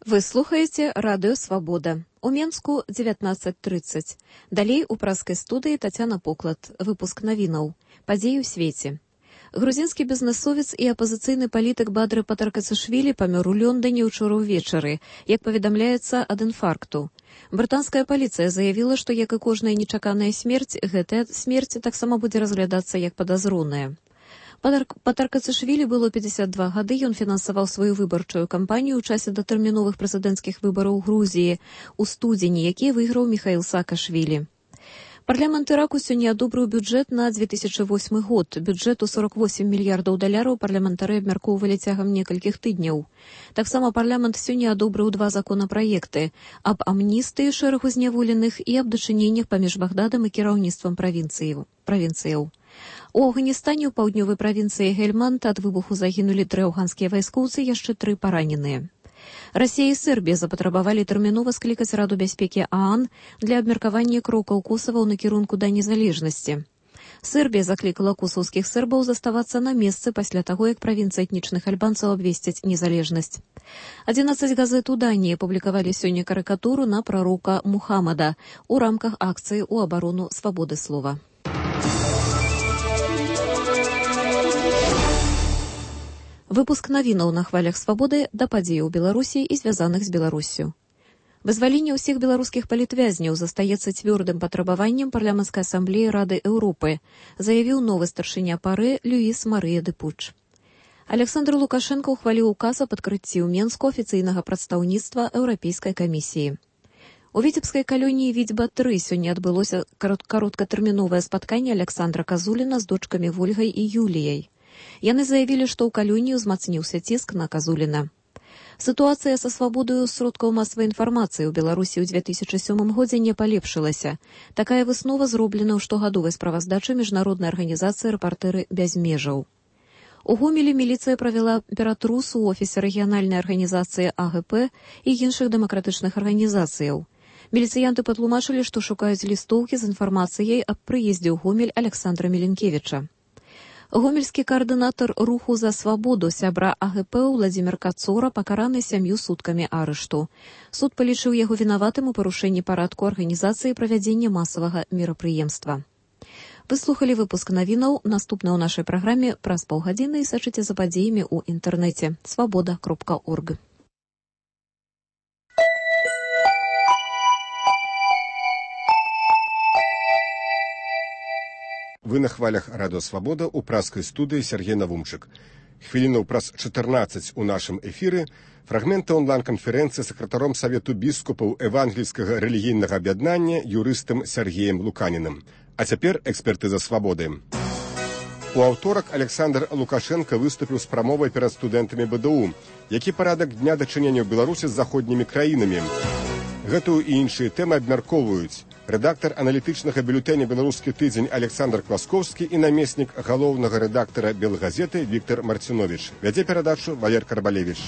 Вы слухаеце радыё «Свабода». У Менску 19:30. Далей у праскай студыі Тацяна Поклад. Выпуск навінаў. Падзеі ў свеце. Грузінскі бізнесовец і апазіцыйны палітык Бадры Патракацашвілі памёр у Лёндане ўчора ўвечары, як паведамляецца, ад інфаркту. Брытанская паліцыя заявіла, што, як і кожная нечаканая смерць, гэтая смерць таксама будзе разглядацца як падазроная. Патракацашвілі было 52 гады, ён фінансаваў сваю выбарчую кампанію ў часе датэрміновых прэзідэнцкіх выбараў Грузіі ў студзені, якія выйграў Міхаіл Саакашвілі. Парламент Іраку сёння адобрыў бюджэт на 2008 год. Бюджэт у $48 мільярдаў парламентары абмяркоўвалі цягам некалькіх тыдняў. Таксама парламент сёння адобрыў 2 законапраекты аб амністыі шэрагу зняволеных і аб дачыненнях паміж Багдадам і кіраўніцтвам правінцыяў. У Афганістане ў паўднёвай правінцыі Гельманд ад выбуху загінулі 3 афганскія вайскоўцы, яшчэ 3 параненыя. Расія і Сербія запатрабавалі тэрмінова склікаць Раду бяспекі ААН для абмеркавання крокаў Косава ў накірунку да незалежнасці. Сербія заклікала косаўскіх сербаў заставацца на месцы пасля таго, як правінцыі этнічных альбанцаў абвесцяць незалежнасць. 11 газет у Даніі публікавалі сёння карыкатуру на прарока Мухаммада у рамках акцыі ў абарону свабоды слова. Выпуск навінаў на хвалях свабоды да падзеяў Беларусі і звязаных з Беларуссю. Вызваленне ўсіх беларускіх палітвязняў застаецца цвёрдым патрабаваннем парламенцкай асамблеі Рады Еўропы, заявіў новы старшыня ПАРЭ Люіс Марыя де Пуч. Александр Лукашенко ухваліў указ аб адкрыцці ў Менску афіцыйнага прадстаўніцтва Еўрапейскай камісіі. У віцебскай калоніі Відзьба-3 сёння адбылося кароткатэрміновае спатканне Александра Казуліна з дочкамі Вольгай і Юліяй. Яны заявілі, што ў калоніі ўзмацніўся ціск на Казуліна. Сітуацыя са свабодаю сродкаў масавай інфармацыі ў Беларусі ў 2007 годзе не палепшылася. Такая выснова зроблена ў штогадовай справаздачы міжнароднай арганізацыі «Рэпартэры без межаў». У Гомелі міліцыя правяла ператрус у офісе рэгіянальнай арганізацыі АГП і іншых дэмакратычных арганізацыяў. Міліцыянты патлумачылі, што шукаюць лістоўкі з інфармацыяй аб прыездзе ў Гомель Александра Міленкевіча. Гомельскі каардынатар руху за свабоду сябра АГП Владзімір Кацора пакараны 7 суткамі арышту. Суд палічыў яго вінаватым у парушэнні парадку арганізацыі правядзення масавага мерапрыемства. Вы слухалі выпуск навінаў, наступны ў нашай праграме праз паўгадзіны і сачыце за падзеямі ў інтэрнэце свабода.орг. Вы на хвалях радыё «Свабода» у праскай студыі Сергей Навумчык. Хвілінаў праз 14 у нашым эфіры фрагменты онлайн-канферэнцыі сакратаром Савету біскупаў Евангельскага рэлігійнага аб'яднання юрыстам Сергеем Луканінам. А цяпер экспертыза «Свабоды». У аўторак Александр Лукашенко выступіў з прамовай перад студэнтамі БДУ, які парадак дня дачынення ў Беларусі з заходнімі краінамі. Гэтую і іншыя тэмы абмяркоўваюць рэдактар аналітычнага бюлетэня «Беларускі тыдзень» Александр Квасковскі і намеснік галоўнага рэдактара «Белгазеты» Віктор Марціновіч. Вядзе перадачу Валер Карбалевіч.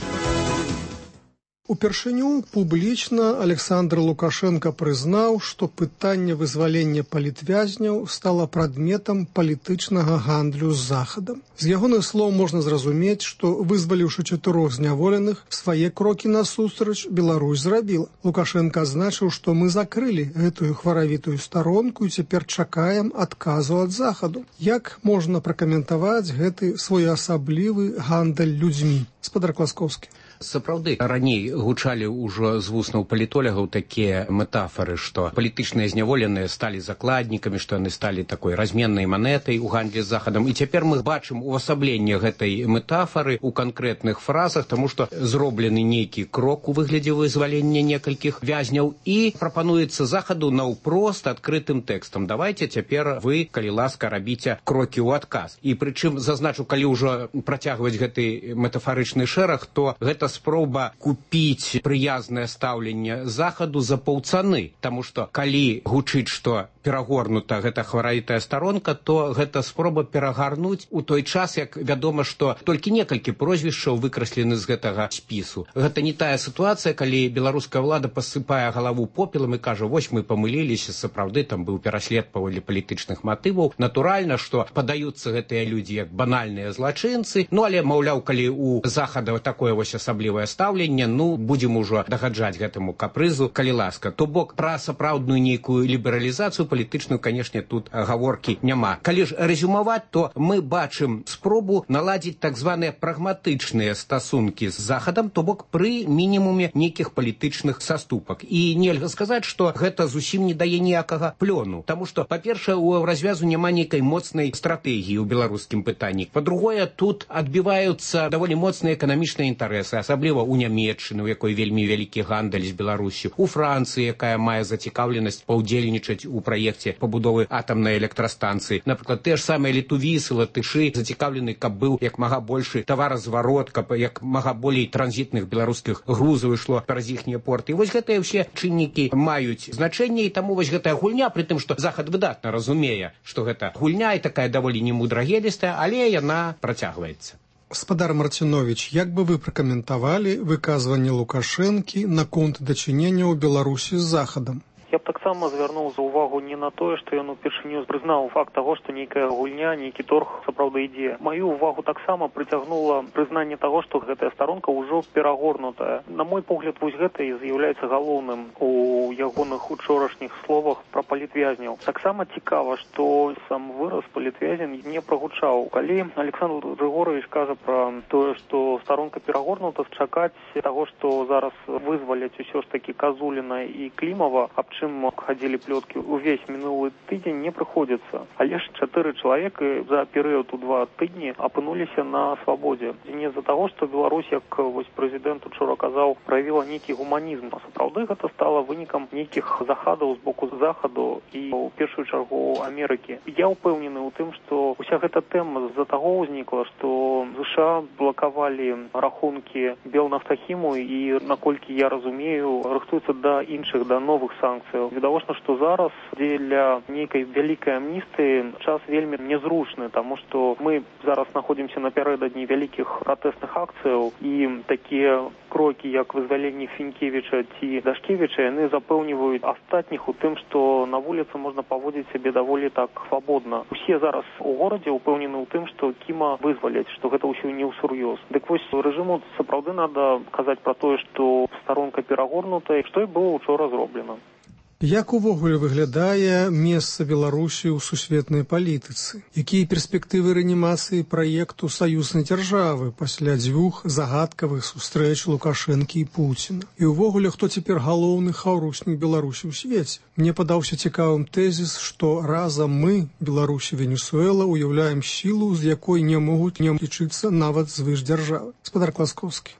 Упершыню публічна Александр Лукашенко прызнаў, што пытанне вызвалення палітвязняў стала прадметам палітычнага гандлю з Захадам. З ягоных слоў можна зразумець, што, вызваліўшы 4 зняволеных, свае крокі насустрач Беларусь зрабіла. Лукашенко азначыў, што мы закрылі гэтую хваравітую старонку і цяпер чакаем адказу ад Захаду. Як можна пракаментаваць гэты своеасаблівы гандаль людзьмі? Спадар Квасковскі. Сапраўды, раней гучалі ўжо з вуснаў палітолагаў такія метафоры, што палітычныя зняволеныя сталі закладнікамі, што яны сталі такой разменнай манетай у гандлі з Захадам. І цяпер мы бачым увасабленне гэтай метафоры у канкрэтных фразах, таму што зроблены нейкі крок у выглядзе вызвалення некалькіх вязняў і прапануецца Захаду наўпрост адкрытым тэкстам. Давайте цяпер вы, калі ласка, рабіце крокі ў адказ. І прычым, зазначу, калі ўжо працягваць гэты метафарычны шэраг, то гэта спроба купіць прыязнае стаўленне Захаду за паўцаны. Таму што калі гучыць, што перагорнута гэта хваравітая старонка, то гэта спроба перагарнуць у той час, як вядома, што толькі некалькі прозвішчаў выкраслены з гэтага спісу. Гэта не тая сітуацыя, калі беларуская ўлада пасыпае галаву попелам і кажа, вось мы памыліліся, сапраўды там быў пераслед паводле палітычных матываў. Натуральна, што падаюцца гэтыя людзі як банальныя злачынцы, але, маўляў, калі у Захада такое вось асаблівае стаўленне, будзем ужо дагаджаць гэтаму капрызу, калі ласка. То бок пра сапраўдную нейкую лібералізацыю палітычную, канешне, тут гаворкі няма. Калі ж рэзюмаваць, то мы бачым спробу наладзіць так званыя прагматычныя стасункі з Захадам, то бок пры мінімуме нейкіх палітычных саступак. І нельга сказаць, што гэта зусім не дае ніякага плёну. Таму што, па-першае, у развязу няма нейкай моцнай стратэгіі ў беларускім пытанні. Па-другое, тут адбіваюцца даволі моцныя эканамічныя інтарэсы, асабліва ў Нямецчыны, у якой вельмі вялікі гандаль з Беларусю, у Францыі, якая мае зацікаўленасць паўдзельнічаць у праекце пабудовы атамнай электрастанцыі. Напрыклад, те ж самыя літувісы, латышы зацікаўлены, каб быў як мага большы таваразварот, каб як мага болей транзітных беларускіх грузаў ішло праз іхнія порты. І вось гэтыя ўсе чыннікі маюць значэнне, і таму вось гэтая гульня, пры тым, што Захад выдатна разумее, што гэта гульня і такая даволі немудрагелістая, але яна працягваецца. Гаспадар Марціновіч, як бы вы пракаментавалі выказванне Лукашэнкі наконт дачынення ў Беларусі з Захадам? Я б таксама звярнуў за ўвагу не на тое, што ён упершыню прызнаў факт таго, што нейкая гульня, нейкі торг сапраўды ідзе. Маю ўвагу таксама прыцягнула прызнанне таго, што гэтая старонка ўжо перагорнутая. На мой погляд, вось гэта і з'яўляецца галоўным у ягоных учорашніх словах пра палітвязняў. Таксама цікава, што сам выраз палітвязень не прагучаў. Калі Александр Григорович кажа пра тое, што старонка перагорнута, чакаць таго, што зараз вызваляць усё ж такі Казуліна і Клімава, аб чым хадзілі плёткі увесь мінулы тыдзень, не прыходзіцца. Але ж 4 чалавекі за перыяд у 2 тыдні апынуліся на свабодзе. І не з-за таго, што Беларусь, як вось прэзідэнт учора казаў, праявіла нейкі гуманізм. А сапраўды гэта стала вынікам нейкіх захадаў з боку Захаду і ў першую чаргу Амерыкі. Я ўпэўнены ў тым, што уся гэта тэма з-за таго ўзнікла, што США блакавалі рахункі Белнафтахіму і, наколькі я разумею, рыхтуюцца да іншых, да новых санкцый. Відавочна, што зараз дзеля нейкай вялікай амністыі час вельмі незручны, таму што мы зараз знаходзімся напярэдадні вялікіх пратэсных акцыяў, і такія крокі, як вызваленне Фінкевіча ці Дашкевіча, яны запэўніваюць астатніх у тым, што на вуліцы можна паводзіць сябе даволі так свабодна. Усе зараз у горадзе ўпэўнены ў тым, што Кіма вызваляць, што гэта ўсё не ўсур'ёз. Дык вось рэжыму сапраўды надо казаць пра тое, што старонка перагорнутая, што і было учора зроблена. Як увогуле выглядае месца Беларусі ў сусветнай палітыцы? Якія перспектывы рэанімацыі праекту саюзнай дзяржавы пасля 2 загадкавых сустрэч Лукашэнкі і Пуціна? І ўвогуле, хто цяпер галоўны хаўруснік Беларусі ў свеце? Мне падаўся цікавым тэзіс, што разам мы, Беларусь і Венесуэла, уяўляем сілу, з якой не могуць не лічыцца нават звышдзяржавы. Гаспадар Класкоўскі.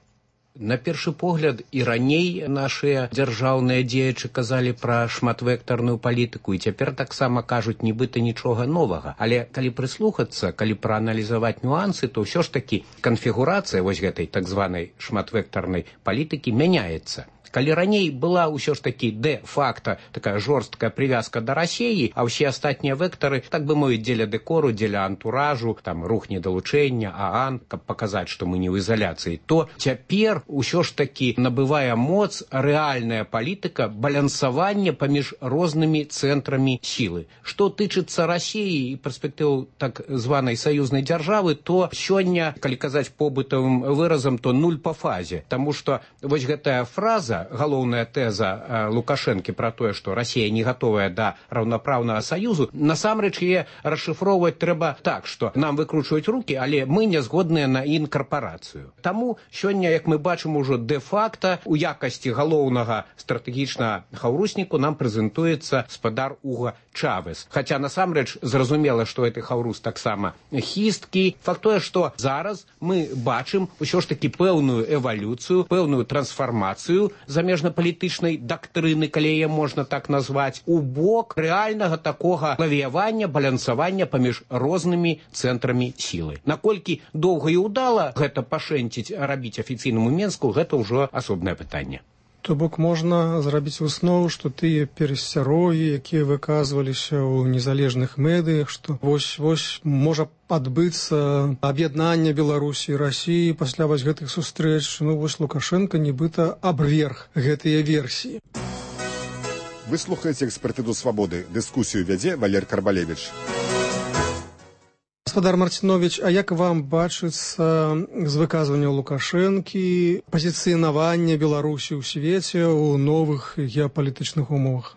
На першы погляд і раней нашыя дзяржаўныя дзеячы казалі пра шматвектарную палітыку, і цяпер таксама кажуць нібыта нічога новага. Але калі прыслухацца, калі прааналізаваць нюансы, то ўсё ж такі канфігурацыя вось гэтай так званай шматвектарнай палітыкі мяняецца. Калі раней была ўсё ж такі дэ-факта такая жорсткая прывязка да Расіі, а ўсе астатнія вектары, так бы мовіць, дзеля дэкору, дзеля антуражу, там рух недалучэння, ААН, каб паказаць, што мы не ў ізаляцыі, то цяпер усё ж такі набывае моц рэальная палітыка балансавання паміж рознымі цэнтрамі сілы. Што тычыцца Расіі і перспектыў так званай саюзнай дзяржавы, то сёння, калі казаць побытавым выразам, то нуль па фазе. Таму што вось гэтая фраза, галоўная тэза Лукашэнкі пра тое, што Расія не гатовая да раўнапраўнага саюзу, насамрэч яе расшыфроўваць трэба так, што нам выкручваюць рукі, але мы не згодныя на інкарпарацыю. Таму сёння, як мы бачым ужо дэ-факта у якасці галоўнага стратэгічнага хаўрусніку нам прэзентуецца спадар Уга Чавес. Хаця насамрэч зразумела, што гэты хаўрус таксама хісткі. Факт тое, што зараз мы бачым усё ж такі пэўную эвалюцыю, пэўную трансфармацыю замежнапалітычнай дактрыны, калі яе можна так назваць, у бок рэальнага такога лавіявання, балансавання паміж рознымі цэнтрамі сілы. Наколькі доўга і ўдала гэта пашэнціць, рабіць афіцыйнаму Менску, гэта ўжо асобнае пытанне. То бок можна зрабіць выснову, што тыя перасцярогі, якія выказваліся ў незалежных медыях, што вось можа адбыцца аб'яднанне Беларусі і Расіі пасля вось гэтых сустрэч. Вось Лукашенко нібыта абверг гэтыя версіі. Вы слухаеце «Экспертыду свабоды». Дыскусію вядзе Валер Карбалевіч. Гаспадар Марціновіч, а як вам бачыцца з выказванняў Лукашэнкі пазіцыянаванне Беларусі ў свеце ў новых геапалітычных умовах?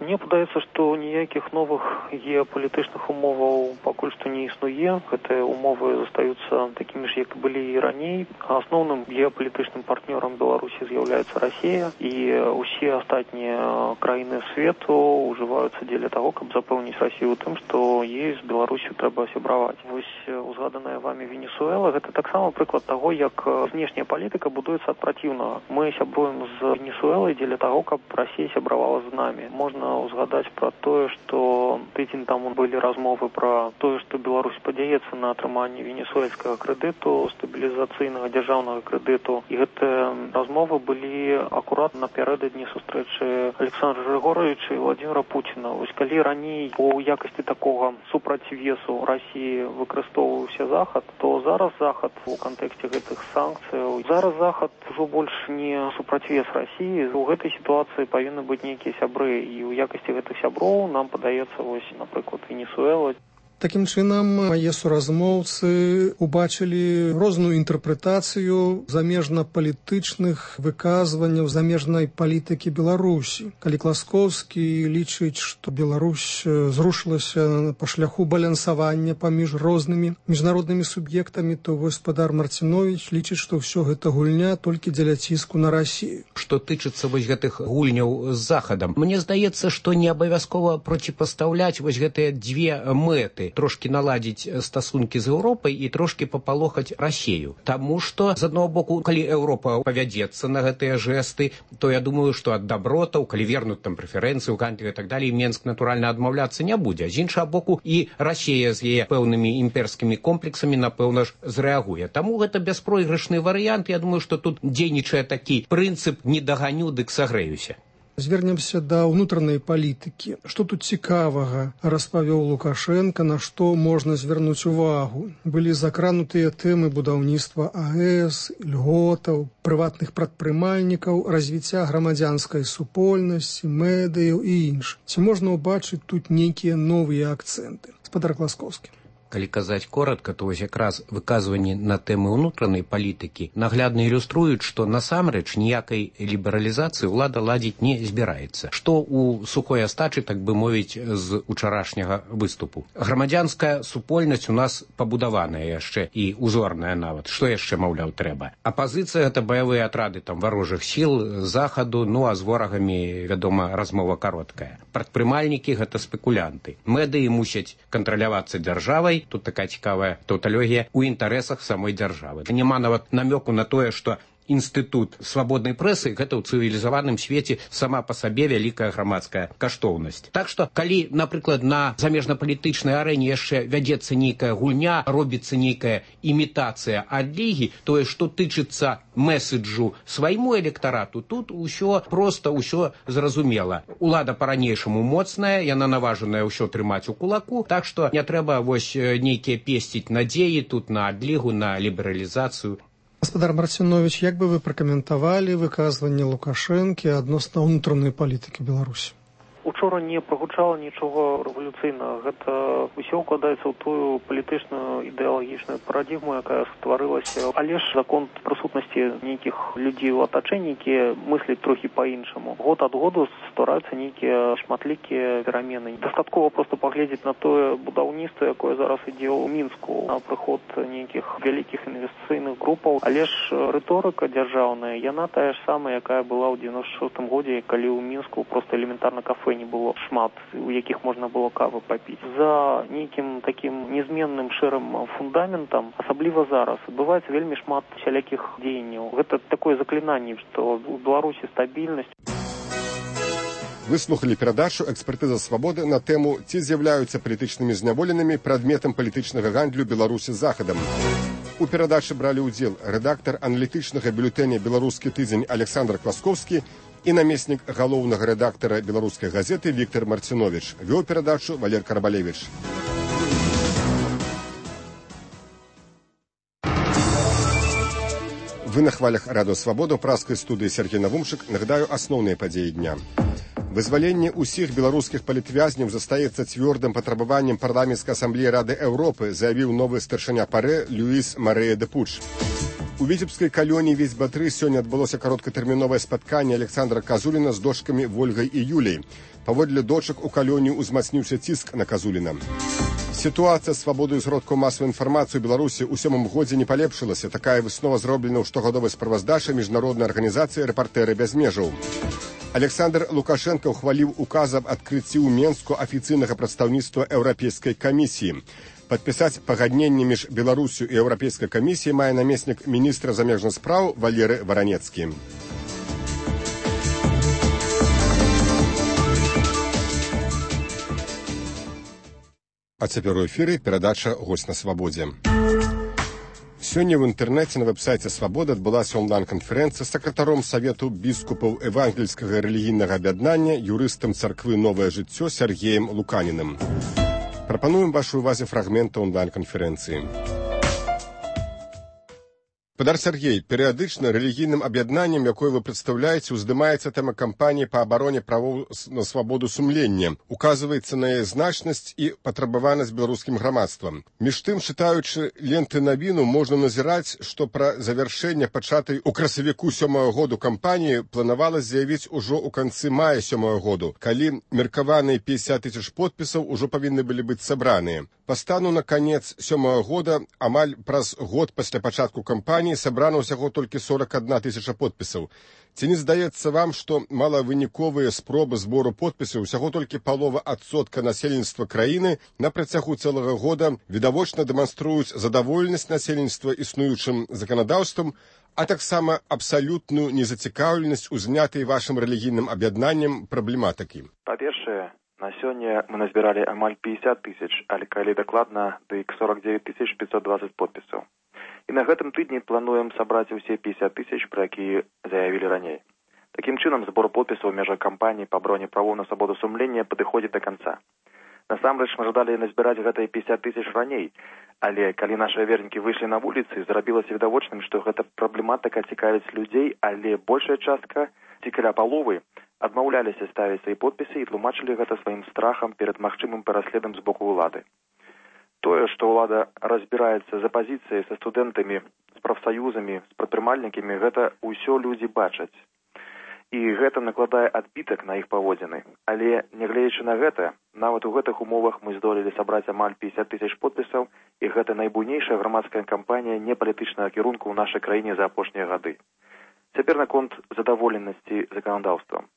Мне падаецца, што ніякіх новых геапалітычных умоваў пакуль што не існуе. Гэтыя умовы застаюцца такімі ж, як былі і раней. Асноўным геапалітычным партнёрам Беларусі з'яўляецца Расія, і ўсе астатнія краіны свету ўжываюцца дзеля таго, каб запэўніць Расію тым, што ёй з Беларусю трэба сябраваць. Вось узгаданая вамі Венесуэла, гэта таксама прыклад таго, як знешняя палітыка будуецца ад праціўнага. Мы сябруем з Венесуэлай дзеля таго, каб Расія сябравала з намі. Можна узгадаць пра тое, што тыдзень таму былі размовы пра тое, што Беларусь падзяецца на атрыманне венесуэльскага крэдыту, стабілізацыйнага дзяржаўнага крэдыту. І гэтыя размовы былі акурат напярэдадні сустрэчы Александра Григоровича і Владимира Путина. Вось калі раней у якасці такога супрацьвесу Расіі выкарыстоўваўся Захад, то зараз Захад у кантэксце гэтых санкцыяў, зараз Захад ужо больш не супрацьвес Расіі. У гэтай сітуацыі павінны быць нейкія сябры, і ў якасці гэтых сяброў нам падаецца, вось, напрыклад, Венесуэла. Такім чынам, мае суразмоўцы убачылі розную інтэрпрэтацыю замежна-палітычных выказванняў замежнай палітыкі Беларусі. Калі Класкоўскі лічыць, што Беларусь зрушылася па шляху балансавання паміж рознымі міжнароднымі суб'ектамі, то гаспадар Марціновіч лічыць, што ўсё гэта гульня толькі дзеля ціску на Расію. Што тычыцца вось гэтых гульняў з Захадам, мне здаецца, што не абавязкова проціпастаўляць вось гэтыя дзве мэты. Трошки наладзіць стасункі з Еўропай і трошки папалохаць Расію. Таму што, з аднаго боку, калі Еўропа павядзецца на гэтыя жэсты, то я думаю, што ад дабротаў, калі вернуць там прэферэнцыі ў гандлі і так далей, Менск, натуральна, адмаўляцца не будзе. З іншага боку, і Расія з яе пэўнымі імперскімі комплексамі, напэўна ж, зрэагуе. Таму гэта бяспройгрышны варыянт. Я думаю, што тут дзейнічае такі прынцып «не даганю, дык сагрэюся». Звернемся да ўнутранай палітыкі. Што тут цікавага распавёў Лукашенко, на што можна звярнуць увагу? Былі закранутыя тэмы будаўніцтва АЭС, льготаў, прыватных прадпрымальнікаў, развіцця грамадзянскай супольнасці, медыяў і іншых. Ці можна ўбачыць тут нейкія новыя акцэнты? Гаспадар Класкоўскі. Калі казаць коротка, то вось якраз выказванні на тэмы ўнутранай палітыкі наглядна ілюструюць, што насамрэч ніякай лібералізацыі ўлада ладзіць не збіраецца. Што ў сухой астачы, так бы мовіць, з учарашняга выступу. Грамадзянская супольнасць у нас пабудаваная яшчэ і узорная нават. Што яшчэ, маўляў, трэба? Апазіцыя — гэта баявыя атрады там варожых сіл захаду, ну а з ворагамі, вядома, размова кароткая. Прадпрымальнікі — гэта спекулянты. Медыі мусяць кантралявацца дзяржавай. Тут такая цікавая таўталогія ў інтарэсах самой дзяржавы. Няма нават намёку на тое, што інстытут свабоднай прэсы — гэта ў цывілізаваным свеце сама па сабе вялікая грамадская каштоўнасць. Так што, калі, напрыклад, на замежнапалітычнай арэне яшчэ вядзецца нейкая гульня, робіцца нейкая імітацыя адлігі, тое, што тычыцца месседжу свайму электарату, тут усё проста, усё зразумела. Улада па-ранейшаму моцная, яна наважаная ўсё трымаць у кулаку, так што не трэба вось нейкія песціць надзеі тут на адлігу, на лібералізацыю. Гаспадар Марціновіч, як бы вы пракаментавалі выказванне Лукашэнкі адносна ўнутранай палітыкі Беларусі? Учора не прагучала нічога рэвалюцыйнага. Гэта ўсё ўкладаецца ў тую палітычную ідэалагічную парадігму, якая стварылася. Але ж закон прысутнасці нейкіх людзей у атачэнні, якія мысляць трохі па-іншаму. Год ад году ствараюцца нейкія шматлікія перамены. Дастаткова проста паглядзець на тое будаўніцтва, якое зараз ідзе ў Мінску, на прыход нейкіх вялікіх інвестыцыйных групаў. Але ж рыторыка дзяржаўная, яна тая ж самая, якая была ў 96-м годзе, калі ў Мінску проста элементарна кафе не было шмат, у якіх можна было кавы папіць. За нейкім такім незменным шэрым фундаментам, асабліва зараз, адбываецца вельмі шмат всялякіх дзеянняў. Гэта такое заклінанне, што ў Беларусі стабільнасць. Вы слухали перадачу «Экспертыза свабоды» на тэму «Ці з'яўляюцца палітычнымі зняволенымі прадметам палітычнага гандлю Беларусі з Захадам». У перадачы бралі ўдзел рэдактар аналітычнага бюлетэня «Беларускі тыдзень» Александр Квасковскі і намеснік галоўнага рэдактара беларускай газеты Віктор Марціновіч. Вёў перадачу Валер Карабалевіч. Вы на хвалях Радыё Свабода ў праскай студыі Сергей Навумчык. Нагадаю асноўныя падзеі дня. Вызваленне ўсіх беларускіх палітвязняў застаецца цвёрдым патрабаваннем парламенцкай асамблеі Рады Еўропы, заявіў новы старшыня ПАРЭ Люіс Марэя де Пуч. У віцебскай калоніі Весьба-3 сёння адбылося кароткатэрміновае спатканне Александра Казуліна з дочкамі Вольгай і Юляй. Паводле дочак у калонію узмацніўся ціск на Казуліна. Сітуацыя з свабодаю сродкаў масавай інфармацыі ў Беларусі ў 7-м годзе не палепшылася. Такая выснова зроблена ў штогадовай справаздачы міжнароднай арганізацыі «Рэпартэры без межаў». Александр Лукашенко ухваліў указ аб адкрыцці ў Менску афіцыйнага прадстаўніцтва Еўрапейскай камісіі. Падпісаць пагадненне між Беларусю і Еўрапейскай камісіяй мае намеснік міністра замежных спраў Валеры Варанецкі. А цяпер у эфіры перадача «Госць на свабодзе». Сёння ў інтэрнэце на вэб-сайце «Свабода» адбылася онлайн-канферэнцыя з сакратаром Савету біскупаў евангельскага рэлігійнага аб'яднання, юрыстам царквы «Новае жыццё» Сергеем Луканіным. Прапануем вашай увазе фрагменты онлайн-канферэнцыі. Падар Сергей, перыядычна рэлігійным аб'яднаннем, якое вы прадстаўляеце, уздымаецца тэма кампаніі па абароне правоў на свабоду сумлення. Указваецца на яе значнасць і патрабаванасць беларускім грамадствам. Між тым, чытаючы ленты навіну, можна назіраць, што пра завяршэнне пачатай у красавіку 7-го году кампаніі планавалася заявіць ужо ў канцы мая 7-го году, калі меркаваныя 50 000 подпісаў ужо павінны былі быць сабраныя. Па стану на канец 7-го года, амаль праз год пасля пачатку кампаніі, сабрана ўсяго толькі 41 000 подпісаў. Ці не здаецца вам, што малавыніковыя спробы збору подпісаў, усяго толькі палова адсотка насельніцтва краіны на працягу цэлага года відавочна дэманструюць задаволенасць насельніцтва існуючым заканадаўствам, а таксама абсалютную незацікаўленасць у знятай вашым рэлігійным аб'яднаннем праблематыкі? Па-першае, на сёння мы назбіралі амаль 50 000, але калі дакладна, дык 49 520 подпісаў. І на гэтым тыдні плануем сабраць усе 50 000, пра якія заявілі раней. Такім чынам, збор подпісаў у межах кампаніі па абароне правоў на свабоду сумлення падыходзіць да канца. Насамрэч, мы жадалі назбіраць гэтыя 50 000 раней, але калі нашыя вернікі выйшлі на вуліцы, зрабілася відавочным, што гэта праблематыка цікавіць людзей, але большая частка, ці каля паловы, адмаўляліся ставіць свае подпісы і тлумачылі гэта сваім страхам перад магчымым пераследам з боку ўлады. Тое, што ўлада разбіраецца з апазіцыяй, са студэнтамі, з прафсаюзамі, з прадпрымальнікамі, гэта ўсё людзі бачаць. І гэта накладае адбітак на іх паводзіны. Але, нягледзячы на гэта, нават у гэтых умовах мы здолелі сабраць амаль 50 000 подпісаў, і гэта найбуйнейшая грамадская кампанія непалітычнага кірунку ў нашай краіне за апошнія гады. Цяпер наконт задаволенасці заканадаўствам.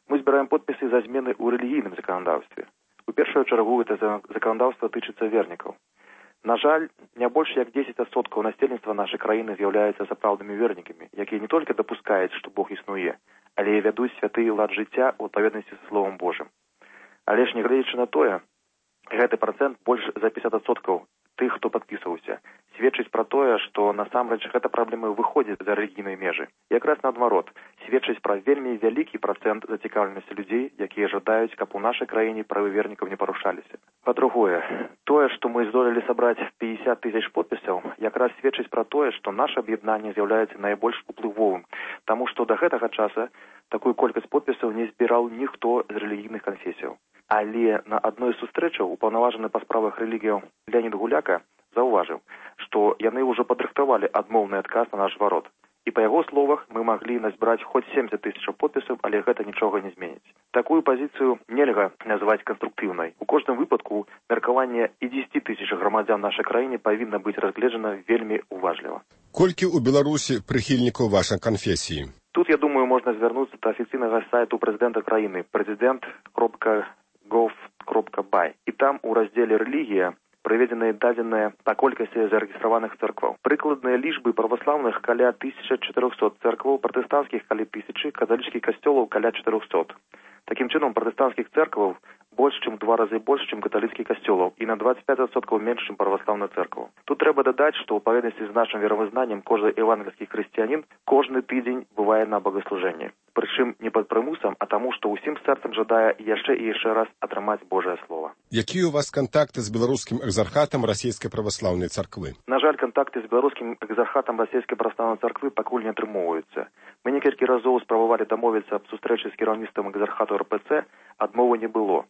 Мы збіраем подпісы за змены ў рэлігійным заканадаўстве. У першую чаргу гэта заканадаўства тычыцца вернікаў. На жаль, не больш як 10% насельніцтва нашай краіны з'яўляюцца сапраўднымі вернікамі, якія не толькі дапускаюць, што Бог існуе, але і вядуць святы лад жыцця ў адпаведнасці са Словам Божым. Але ж, нягледзячы на тое, гэты працэнт больш за 50% тых, хто падпісваўся, сведчыць пра тое, што насамрэч гэта праблема выходзіць за рэлігійныя межы. Якраз наадварот, сведчыць пра вельмі вялікі працэнт зацікаўленасці людзей, якія жадаюць, каб у нашай краіне правы вернікаў не парушаліся. Па-другое, тое, што мы здолелі сабраць 50 тысяч подпісаў, якраз сведчыць пра тое, што наша аб'яднанне з'яўляецца найбольш уплывовым, таму што да гэтага часа такую колькасць подпісаў не збіраў ніхто з рэлігійных канфесіяў. Але на адной з сустрэчаў упаўнаважаны па справах рэлігіяў Леонід Гуляка заўважыў, што яны ўжо падрыхтавалі адмоўны адказ на наш зварот. І па яго словах мы маглі назбіраць хоць 70 тысяч подпісаў, але гэта нічога не зменіць. Такую пазіцыю нельга называць канструктыўнай. У кожным выпадку меркаванне і 10 тысяч грамадзян нашай краіне павінна быць разгледжана вельмі уважліва. Колькі ў Беларусі прыхільнікаў вашай канфесіі? Тут, я думаю, можна звярнуцца да афіцыйнага сайту прэзідэнта краіны president.gov.by. І там у раздзеле «Рэлігія» прыведзеныя дадзеныя па колькасці зарэгістраваных цэркваў. Прыкладныя лічбы праваслаўных каля 1400 цэркваў, пратэстанцкіх каля 1000, каталіцкіх касцёлаў каля 400. Такім чынам, пратэстанцкіх цэркваў больш, чым 2 разы больш, чым каталіцкіх касцёлаў і на 25% менш, чым праваслаўных цэркваў. Тут трэба дадаць, што ў паведнасці з нашым веравызнаннем кожны евангельскі хрысціянін кожны тыдзень бывае на богаслужэнні. Прычым не пад прымусам, а таму, што ўсім сэрцам жадае яшчэ і яшчэ раз атрымаць Божае Слова. Якія ў вас кантакты з беларускім экзархатам расійскай праваслаўнай царквы? На жаль, кантакты з беларускім экзархатам расійскай праваслаўнай царквы пакуль не атрымоўваюцца. Мы некалькі разоў спрабавалі дамовіцца аб сустрэчы з кіраўніцтвам экзархату РПЦ, адмовы не было.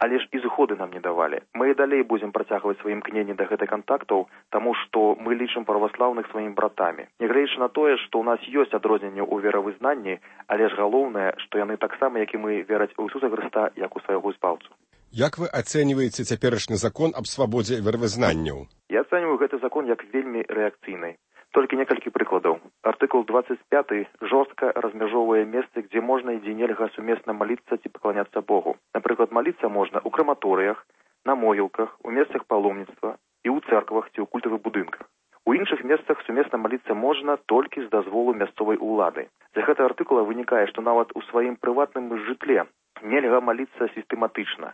Але ж і згоды нам не давалі. Мы і далей будзем працягваць свае імкненні да гэтых кантактаў, таму што мы лічым праваслаўных сваімі братамі. Нягледзячы на тое, што ў нас ёсць адрозненне ў веравызнанні, але ж галоўнае, што яны таксама, як і мы, вераць у Ісуса Хрыста як у свайго збаўцу. Як вы ацэньваеце цяперашні закон аб свабодзе веравызнанняў? Я ацэньваю гэты закон як вельмі рэакцыйны. Толькі некалькі прыкладаў. Артыкул 25 жорстка размяжоўвае месцы, дзе можна і дзе нельга сумесна маліцца ці пакланяцца Богу. Напрыклад, маліцца можна ў краматорыях, на могілках, у месцах паломніцтва і ў цэрквах ці ў культавых будынках. У іншых месцах сумесна маліцца можна толькі з дазволу мясцовай улады. З гэтага артыкула вынікае, што нават у сваім прыватным жытле нельга маліцца сістэматычна.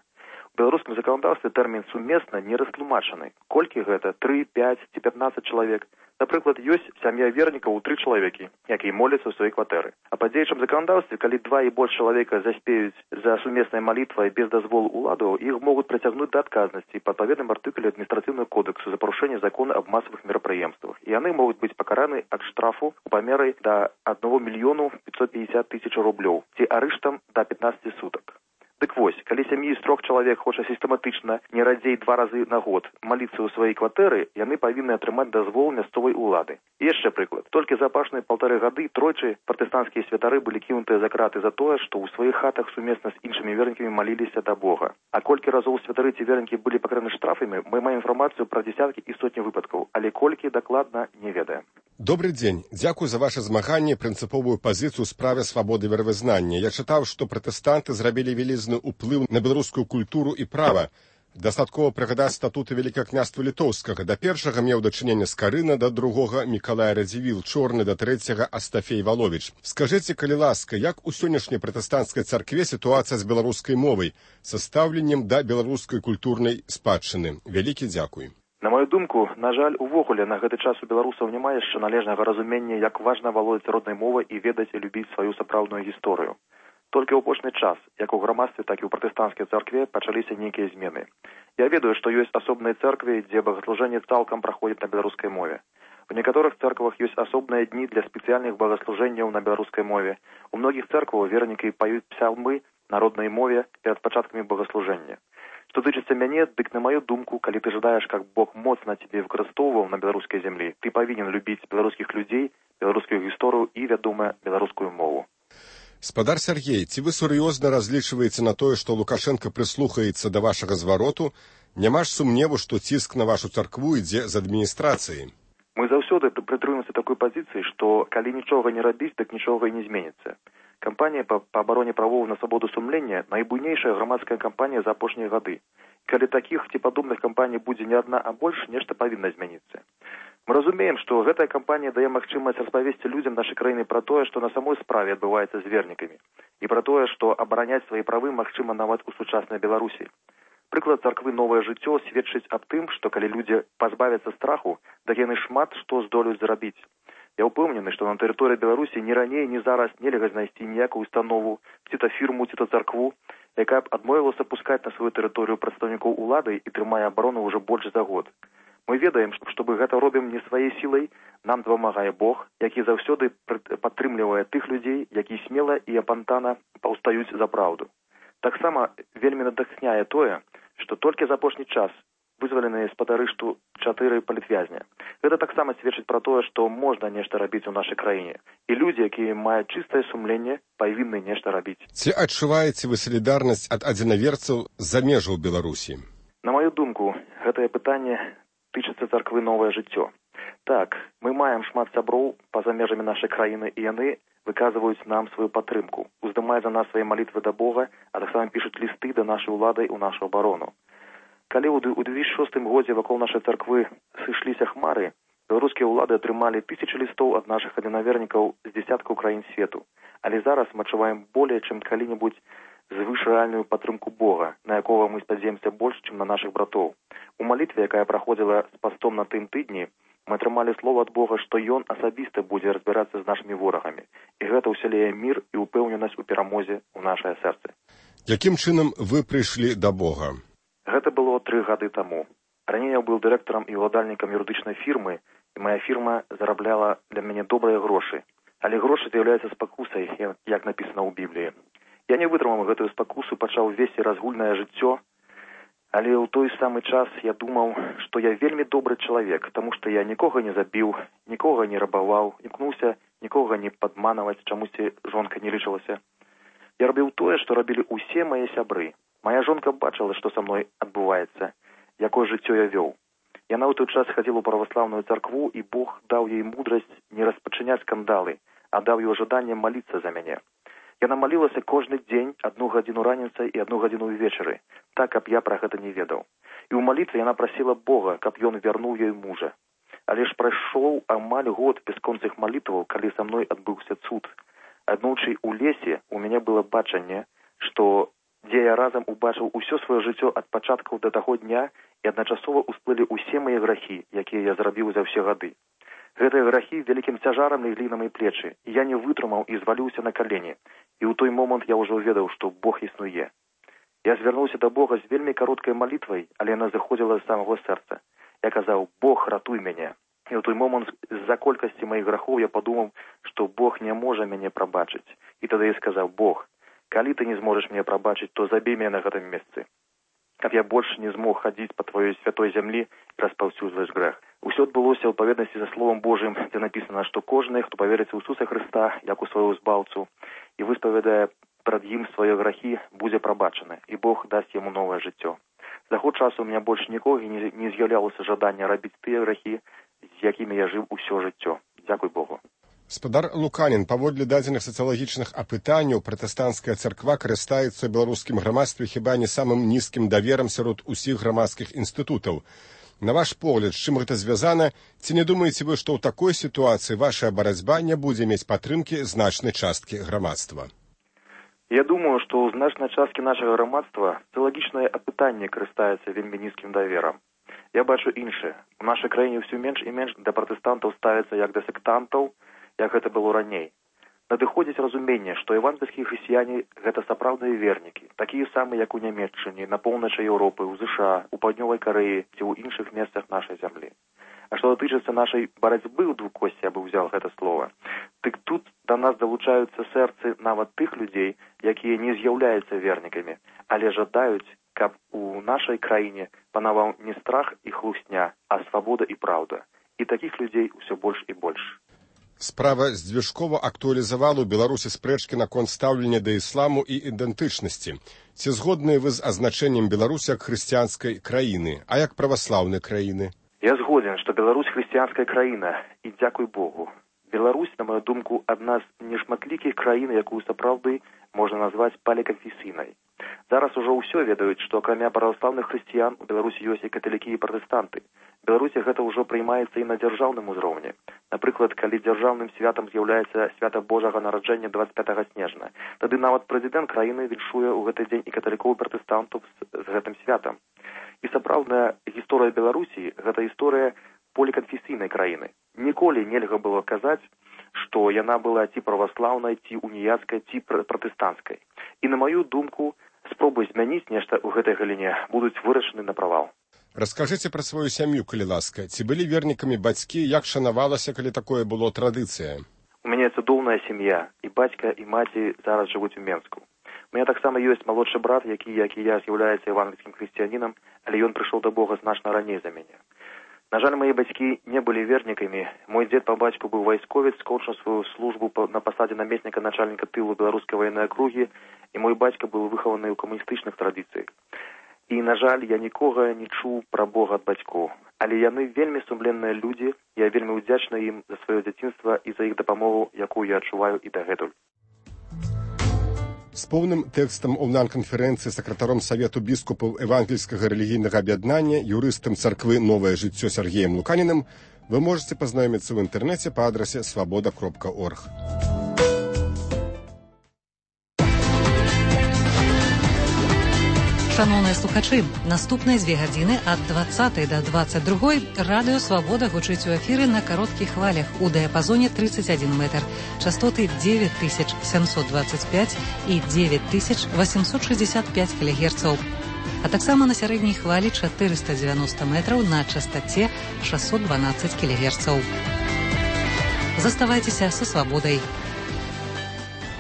У беларускім заканадаўстве тэрмін «сумесна» не растлумачаны. Колькі гэта? 3, 5 ці 15 чалавек? Напрыклад, ёсць сям'я вернікаў у 3 чалавекі, якія моляцца ў сваёй кватэры. А па дзеючым заканадаўстве, калі 2 і больш чалавека заспеюць за сумеснай малітвай без дазволу ўладаў, іх могуць прыцягнуць да адказнасці па адпаведным артыкуле адміністрацыйнага кодексу за парушэнне закона аб масавых мерапрыемствах. І яны могуць быць пакараны ад штрафу у памеры да 1 мільёну 550 тысяч рублёў ці арыштам да 15 сутак. Дык вось, калі сям'і з 3 чалавек хоча сістэматычна не радзей 2 разы на год маліцца ў сваёй кватэры, яны павінны атрымаць дазвол мясцовай улады. І яшчэ прыклад. Толькі за апошнія 1,5 гады тройчы пратэстанцкія святары былі кінутыя за краты за тое, што ў сваіх хатах сумесна з іншымі вернікамі маліліся да Бога. А колькі разоў святары ці вернікі былі пакараны штрафамі, мы маем інфармацыю пра дзесяткі і сотні выпадкаў, але колькі дакладна не ведаем. Добрый дзень. Дзякуй за ваше змаганне і прынцыповую пазіцыю ў справе свабоды веравызнання. Я чытаў, што пратэстанты зрабілі вялізны ўплыў на беларускую культуру і права. Дастаткова прыгадаць статуты Вялікага княства Літоўскага. Да першага меў дачыненне Скарына, да другога Мікалай Радзівіл Чорны, да трэцяга Астафей Валовіч. Скажыце, калі ласка, як у сённяшняй пратэстанцкай царкве сітуацыя з беларускай мовай, са стаўленнем да беларускай культурнай спадчыны? Вялікі дзякуй. На мою думку, на жаль, увогуле на гэты час у беларусаў няма яшчэ належнага разумення, як важна валодаць роднай мовай і ведаць і любіць сваю сапраўдную гісторыю. Толькі ў апошні час, як у грамадстве, так і ў пратэстанцкай царкве пачаліся нейкія змены. Я ведаю, што ёсць асобныя цэрквы, дзе богаслужэнне цалкам праходзіць на беларускай мове. У некаторых цэрквах ёсць асобныя дні для спецыяльных богаслужэнняў на беларускай мове. У многіх цэркваў вернікі паюць псалмы на роднай мове перад пачаткамі богаслужэння. Што тычыцца мяне, дык на маю думку, калі ты жадаеш, каб Бог моцна цябе выкарыстоўваў на беларускай зямлі, ты павінен любіць беларускіх людзей, беларускую гісторыю і, вядома, беларускую мову. Спадар Сергей, ці вы сур'ёзна разлічваеце на тое, што Лукашенко прыслухаецца да вашага звароту? Няма ж сумневу, што ціск на вашу царкву ідзе з адміністрацыі. Мы заўсёды прытрымаемся такой пазіцыі, што калі нічога не рабіць, дык нічога і не зменіцца. Кампанія па абароне правоў на свабоду сумлення найбуйнейшая грамадская кампанія за апошнія гады. Калі такіх ці падобных кампаній будзе не адна, а больш, нешта павінна змяніцца. Мы разумеем, што гэтая кампанія дае магчымасць распавесці людзям нашай краіны пра тое, што на самой справе адбываецца з вернікамі, і пра тое, што абараняць свае правы магчыма нават у сучаснай Беларусі. Прыклад царквы «Новае жыццё» сведчыць аб тым, што калі людзі пазбавяцца страху, так яны шмат што здолеюць зрабіць. Я ўпэўнены, што на тэрыторыі Беларусі ні раней, ні зараз нельга знайсці ніякую установу, ці то фірму, ці то царкву, якая б адмовілася пускаць на сваю тэрыторыю прадстаўнікоў улады і трымае абарону ўжо больш за год. Мы ведаем, што мы гэта робім не сваёй сілай, нам дапамагае Бог, які заўсёды падтрымлівае тых людзей, які смела і апантана паўстаюць за праўду. Таксама вельмі натхняе тое, што толькі за апошні час вызваленыя з-пад арышту 4 палітвязня. Гэта таксама сведчыць пра тое, што можна нешта рабіць у нашай краіне. І людзі, якія маюць чыстае сумленне, павінны нешта рабіць. Ці адчуваеце вы салідарнасць ад адзінаверцаў з-за межаў Беларусі? На маю думку, гэтае пытанне тычыцца царквы «Новае жыццё». Так, мы маем шмат сяброў па-за межамі нашай краіны, і яны выказваюць нам сваю падтрымку, уздымаюць за нас свае малітвы да Бога, а таксама пішуць лісты да нашай улады ў нашу абарону. Калі ў 2006 годзе вакол нашай царквы сышліся хмары, беларускія ўлады атрымалі тысячы лістоў ад нашых адзінавернікаў з дзясяткаў краін свету. Але зараз мы адчуваем болей, чым калі-небудзь звыш рэальную падтрымку Бога, на якога мы спадзяемся больш, чым на нашых братоў. У малітве, якая праходзіла з пастом на тым тыдні, мы атрымалі слова ад Бога, што Ён асабіста будзе разбірацца з нашымі ворагамі. І гэта ўсяляе мір і ўпэўненасць у перамозе ў нашае сэрцы. Якім чынам вы прыйшлі да Бога? Гэта было 3 гады таму. Раней я быў дырэктарам і ўладальнікам юрыдычнай фірмы, і моя фірма зарабляла для мяне добрыя грошы. Але грошы з'яўляюцца спакусай, як напісана ў Бібліі. Я не вытрымаў гэтую спакусу, пачаў весці разгульнае жыццё, але ў той самы час я думаў, што я вельмі добры чалавек, таму што я нікога не забіў, нікога не рабаваў, імкнуўся нікога не падманаваць, чамусьці жонка не лічылася. Я рабіў тое, што рабілі ўсе мае сябры. Моя жонка бачыла, што са мной адбываецца, якое жыццё я вёў. Яна ў той час хадзіла ў праваслаўную царкву, і Бог даў ёй мудрасць не распачыняць скандалы, а даў ёй жаданне маліцца за мяне. Яна малілася кожны дзень 1 гадзіну раніцай і 1 гадзіну ўвечары, так, каб я пра гэта не ведаў. І ў малітве яна прасіла Бога, каб ён вярнуў ёй мужа. Але ж прайшоў амаль год бясконцых малітваў, калі са мной адбыўся цуд. Аднойчы ў лесе у мяне было бачанне, што дзе я разам убачыў усё сваё жыццё ад пачаткаў да таго дня, і адначасова ўсплылі ўсе мае грахі, якія я зрабіў за ўсе гады. Гэтыя грахі вялікім цяжарам леглі на мае плечы, і я не вытрымаў і зваліўся на калені. І ў той момант я ўжо ведаў, што Бог існуе. Я звярнуўся да Бога з вельмі кароткай малітвай, але яна заходзіла з самого сэрца. Я казаў: «Бог, ратуй мяне». І ў той момант з-за колькасці маіх грахоў я падумаў, што Бог не можа мяне прабачыць. І тады я сказаў: «Бог, калі ты не зможаш мяне прабачыць, то забей мяне на гэтым месцы, каб я больш не змог хадзіць па тваёй святой зямлі і распаўсюджваць грэх». Усё адбылося ў адпаведнасці за словам Божым, дзе напісана, што кожны, хто паверыць у Ісуса Хрыста як у свайго збаўцу і высповедае пред ім свае грахі, будзе прабачаны, і Бог дасць яму новае жыццё. За год часу у меня больш нікога не з'яўлялася жадання рабіць тыя грахі, з якімі я жыў усё жыццё. Дзякуй Богу. Спадар Луканін, паводле дадзеных сацыялагічных апытанняў, пратэстанцкая царква карыстаецца ў беларускім грамадстве хіба не самым нізкім даверам сярод усіх грамадскіх інстытутаў. На ваш погляд, з чым гэта звязана, ці не думаеце вы, што ў такой сітуацыі ваша барацьба не будзе мець падтрымкі значнай часткі грамадства? Я думаю, што ў значнай часткі нашага грамадства сацыялагічнае апытанне карыстаецца вельмі нізкім даверам. Я бачу іншае. У нашай краіне ўсё менш і менш да пратэстантаў ставіцца як да сектантаў, як гэта было раней. Надыходзіць разуменне, што евангельскія хрысціяне – гэта сапраўдныя вернікі, такія самыя, як у Нямецчыне, на поўначы Еўропы, у ЗША, у Паўднёвай Карэі ці ў іншых месцах нашай зямлі. А што датычыцца нашай барацьбы ў двукосці, я бы ўзял гэта слова, дык тут да нас далучаюцца сэрцы нават тых людзей, якія не з'яўляюцца вернікамі, але жадаюць, каб у нашай краіне панаваў не страх і хлусня, а свабода і праўда. І такіх людзей усё больш і больш. Справа здвижкова актуалізавала ў Беларусі спрэчкі наконт стаўлення да ісламу і ідэнтычнасці. Ці згодныя вы з азначэннем Беларусі як хрысціянскай краіны, а як праваслаўнай краіны? Я згоден, што Беларусь хрысціянская краіна, і дзякуй Богу. Беларусь, на мою думку, адна з нешматлікіх краін, якую сапраўды можна назваць паліканфесійнай. Зараз ужо ўсё ведаюць, што акрамя праваслаўных хрысціян у Беларусі ёсць і каталікі і пратэстанты. Беларусі гэта ўжо прыймаецца і на дзяржаўным узроўні. Напрыклад, калі дзяржаўным святам з'яўляецца свята Божага нараджэння 25 снежня, тады нават прэзідэнт краіны віншуе ў гэты дзень і каталікоў і пратэстантаў з гэтым святам. І сапраўдная гісторыя Беларусі – гэта гісторыя поліканфесійнай краіны. Ніколі нельга было казаць, што яна была ці праваслаўнай, ці уніяцкай, ці пратэстанцкай. І на маю думку, спробы змяніць нешта ў гэтай галіне будуць вырашаны на правал. Раскажыце пра сваю сям'ю, калі ласка. Ці былі вернікамі бацькі, як шанавалася, калі такое было традыцыя? У мяне цудоўная сям'я, і бацька, і маці зараз жывуць у Менску. У мяне таксама ёсць малодшы брат, які, як і я, з'яўляецца евангельскім хрысціянінам, але ён прыйшоў да Бога значна раней за мяне. На жаль, мае бацькі не былі вернікамі. Мой дзед па бацьку быў вайсковец, скончыў сваю службу на пасадзе намесніка начальніка тылу беларускай ваеннай акругі, і мой бацька быў выхаваны ў камуністычных традыцыях. І, на жаль, я нікога не чуў пра Бога ад бацькоў. Але яны вельмі сумленныя людзі, я вельмі ўдзячны ім за сваё дзяцінства і за іх дапамогу, якую я адчуваю і дагэтуль. З поўным тэкстам онлайн-канферэнцыі сакратаром Савету біскупаў евангельскага рэлігійнага аб'яднання, юрыстам царквы «Новае жыццё» Сергеем Луканіним вы можаце пазнаёміцца ў інтэрнэце па адрасе свабода.орг. Шановні слухачі, наступні 2 години ад 20 до 22 Радіо Свобода гучить у ефірі на коротких хвалях у діапазоні 31 метр, частоти 9725 і 9865 кГц, а так само на середній хвалі 490 метрів на частоті 612 кГц. Заставайтеся со свободой.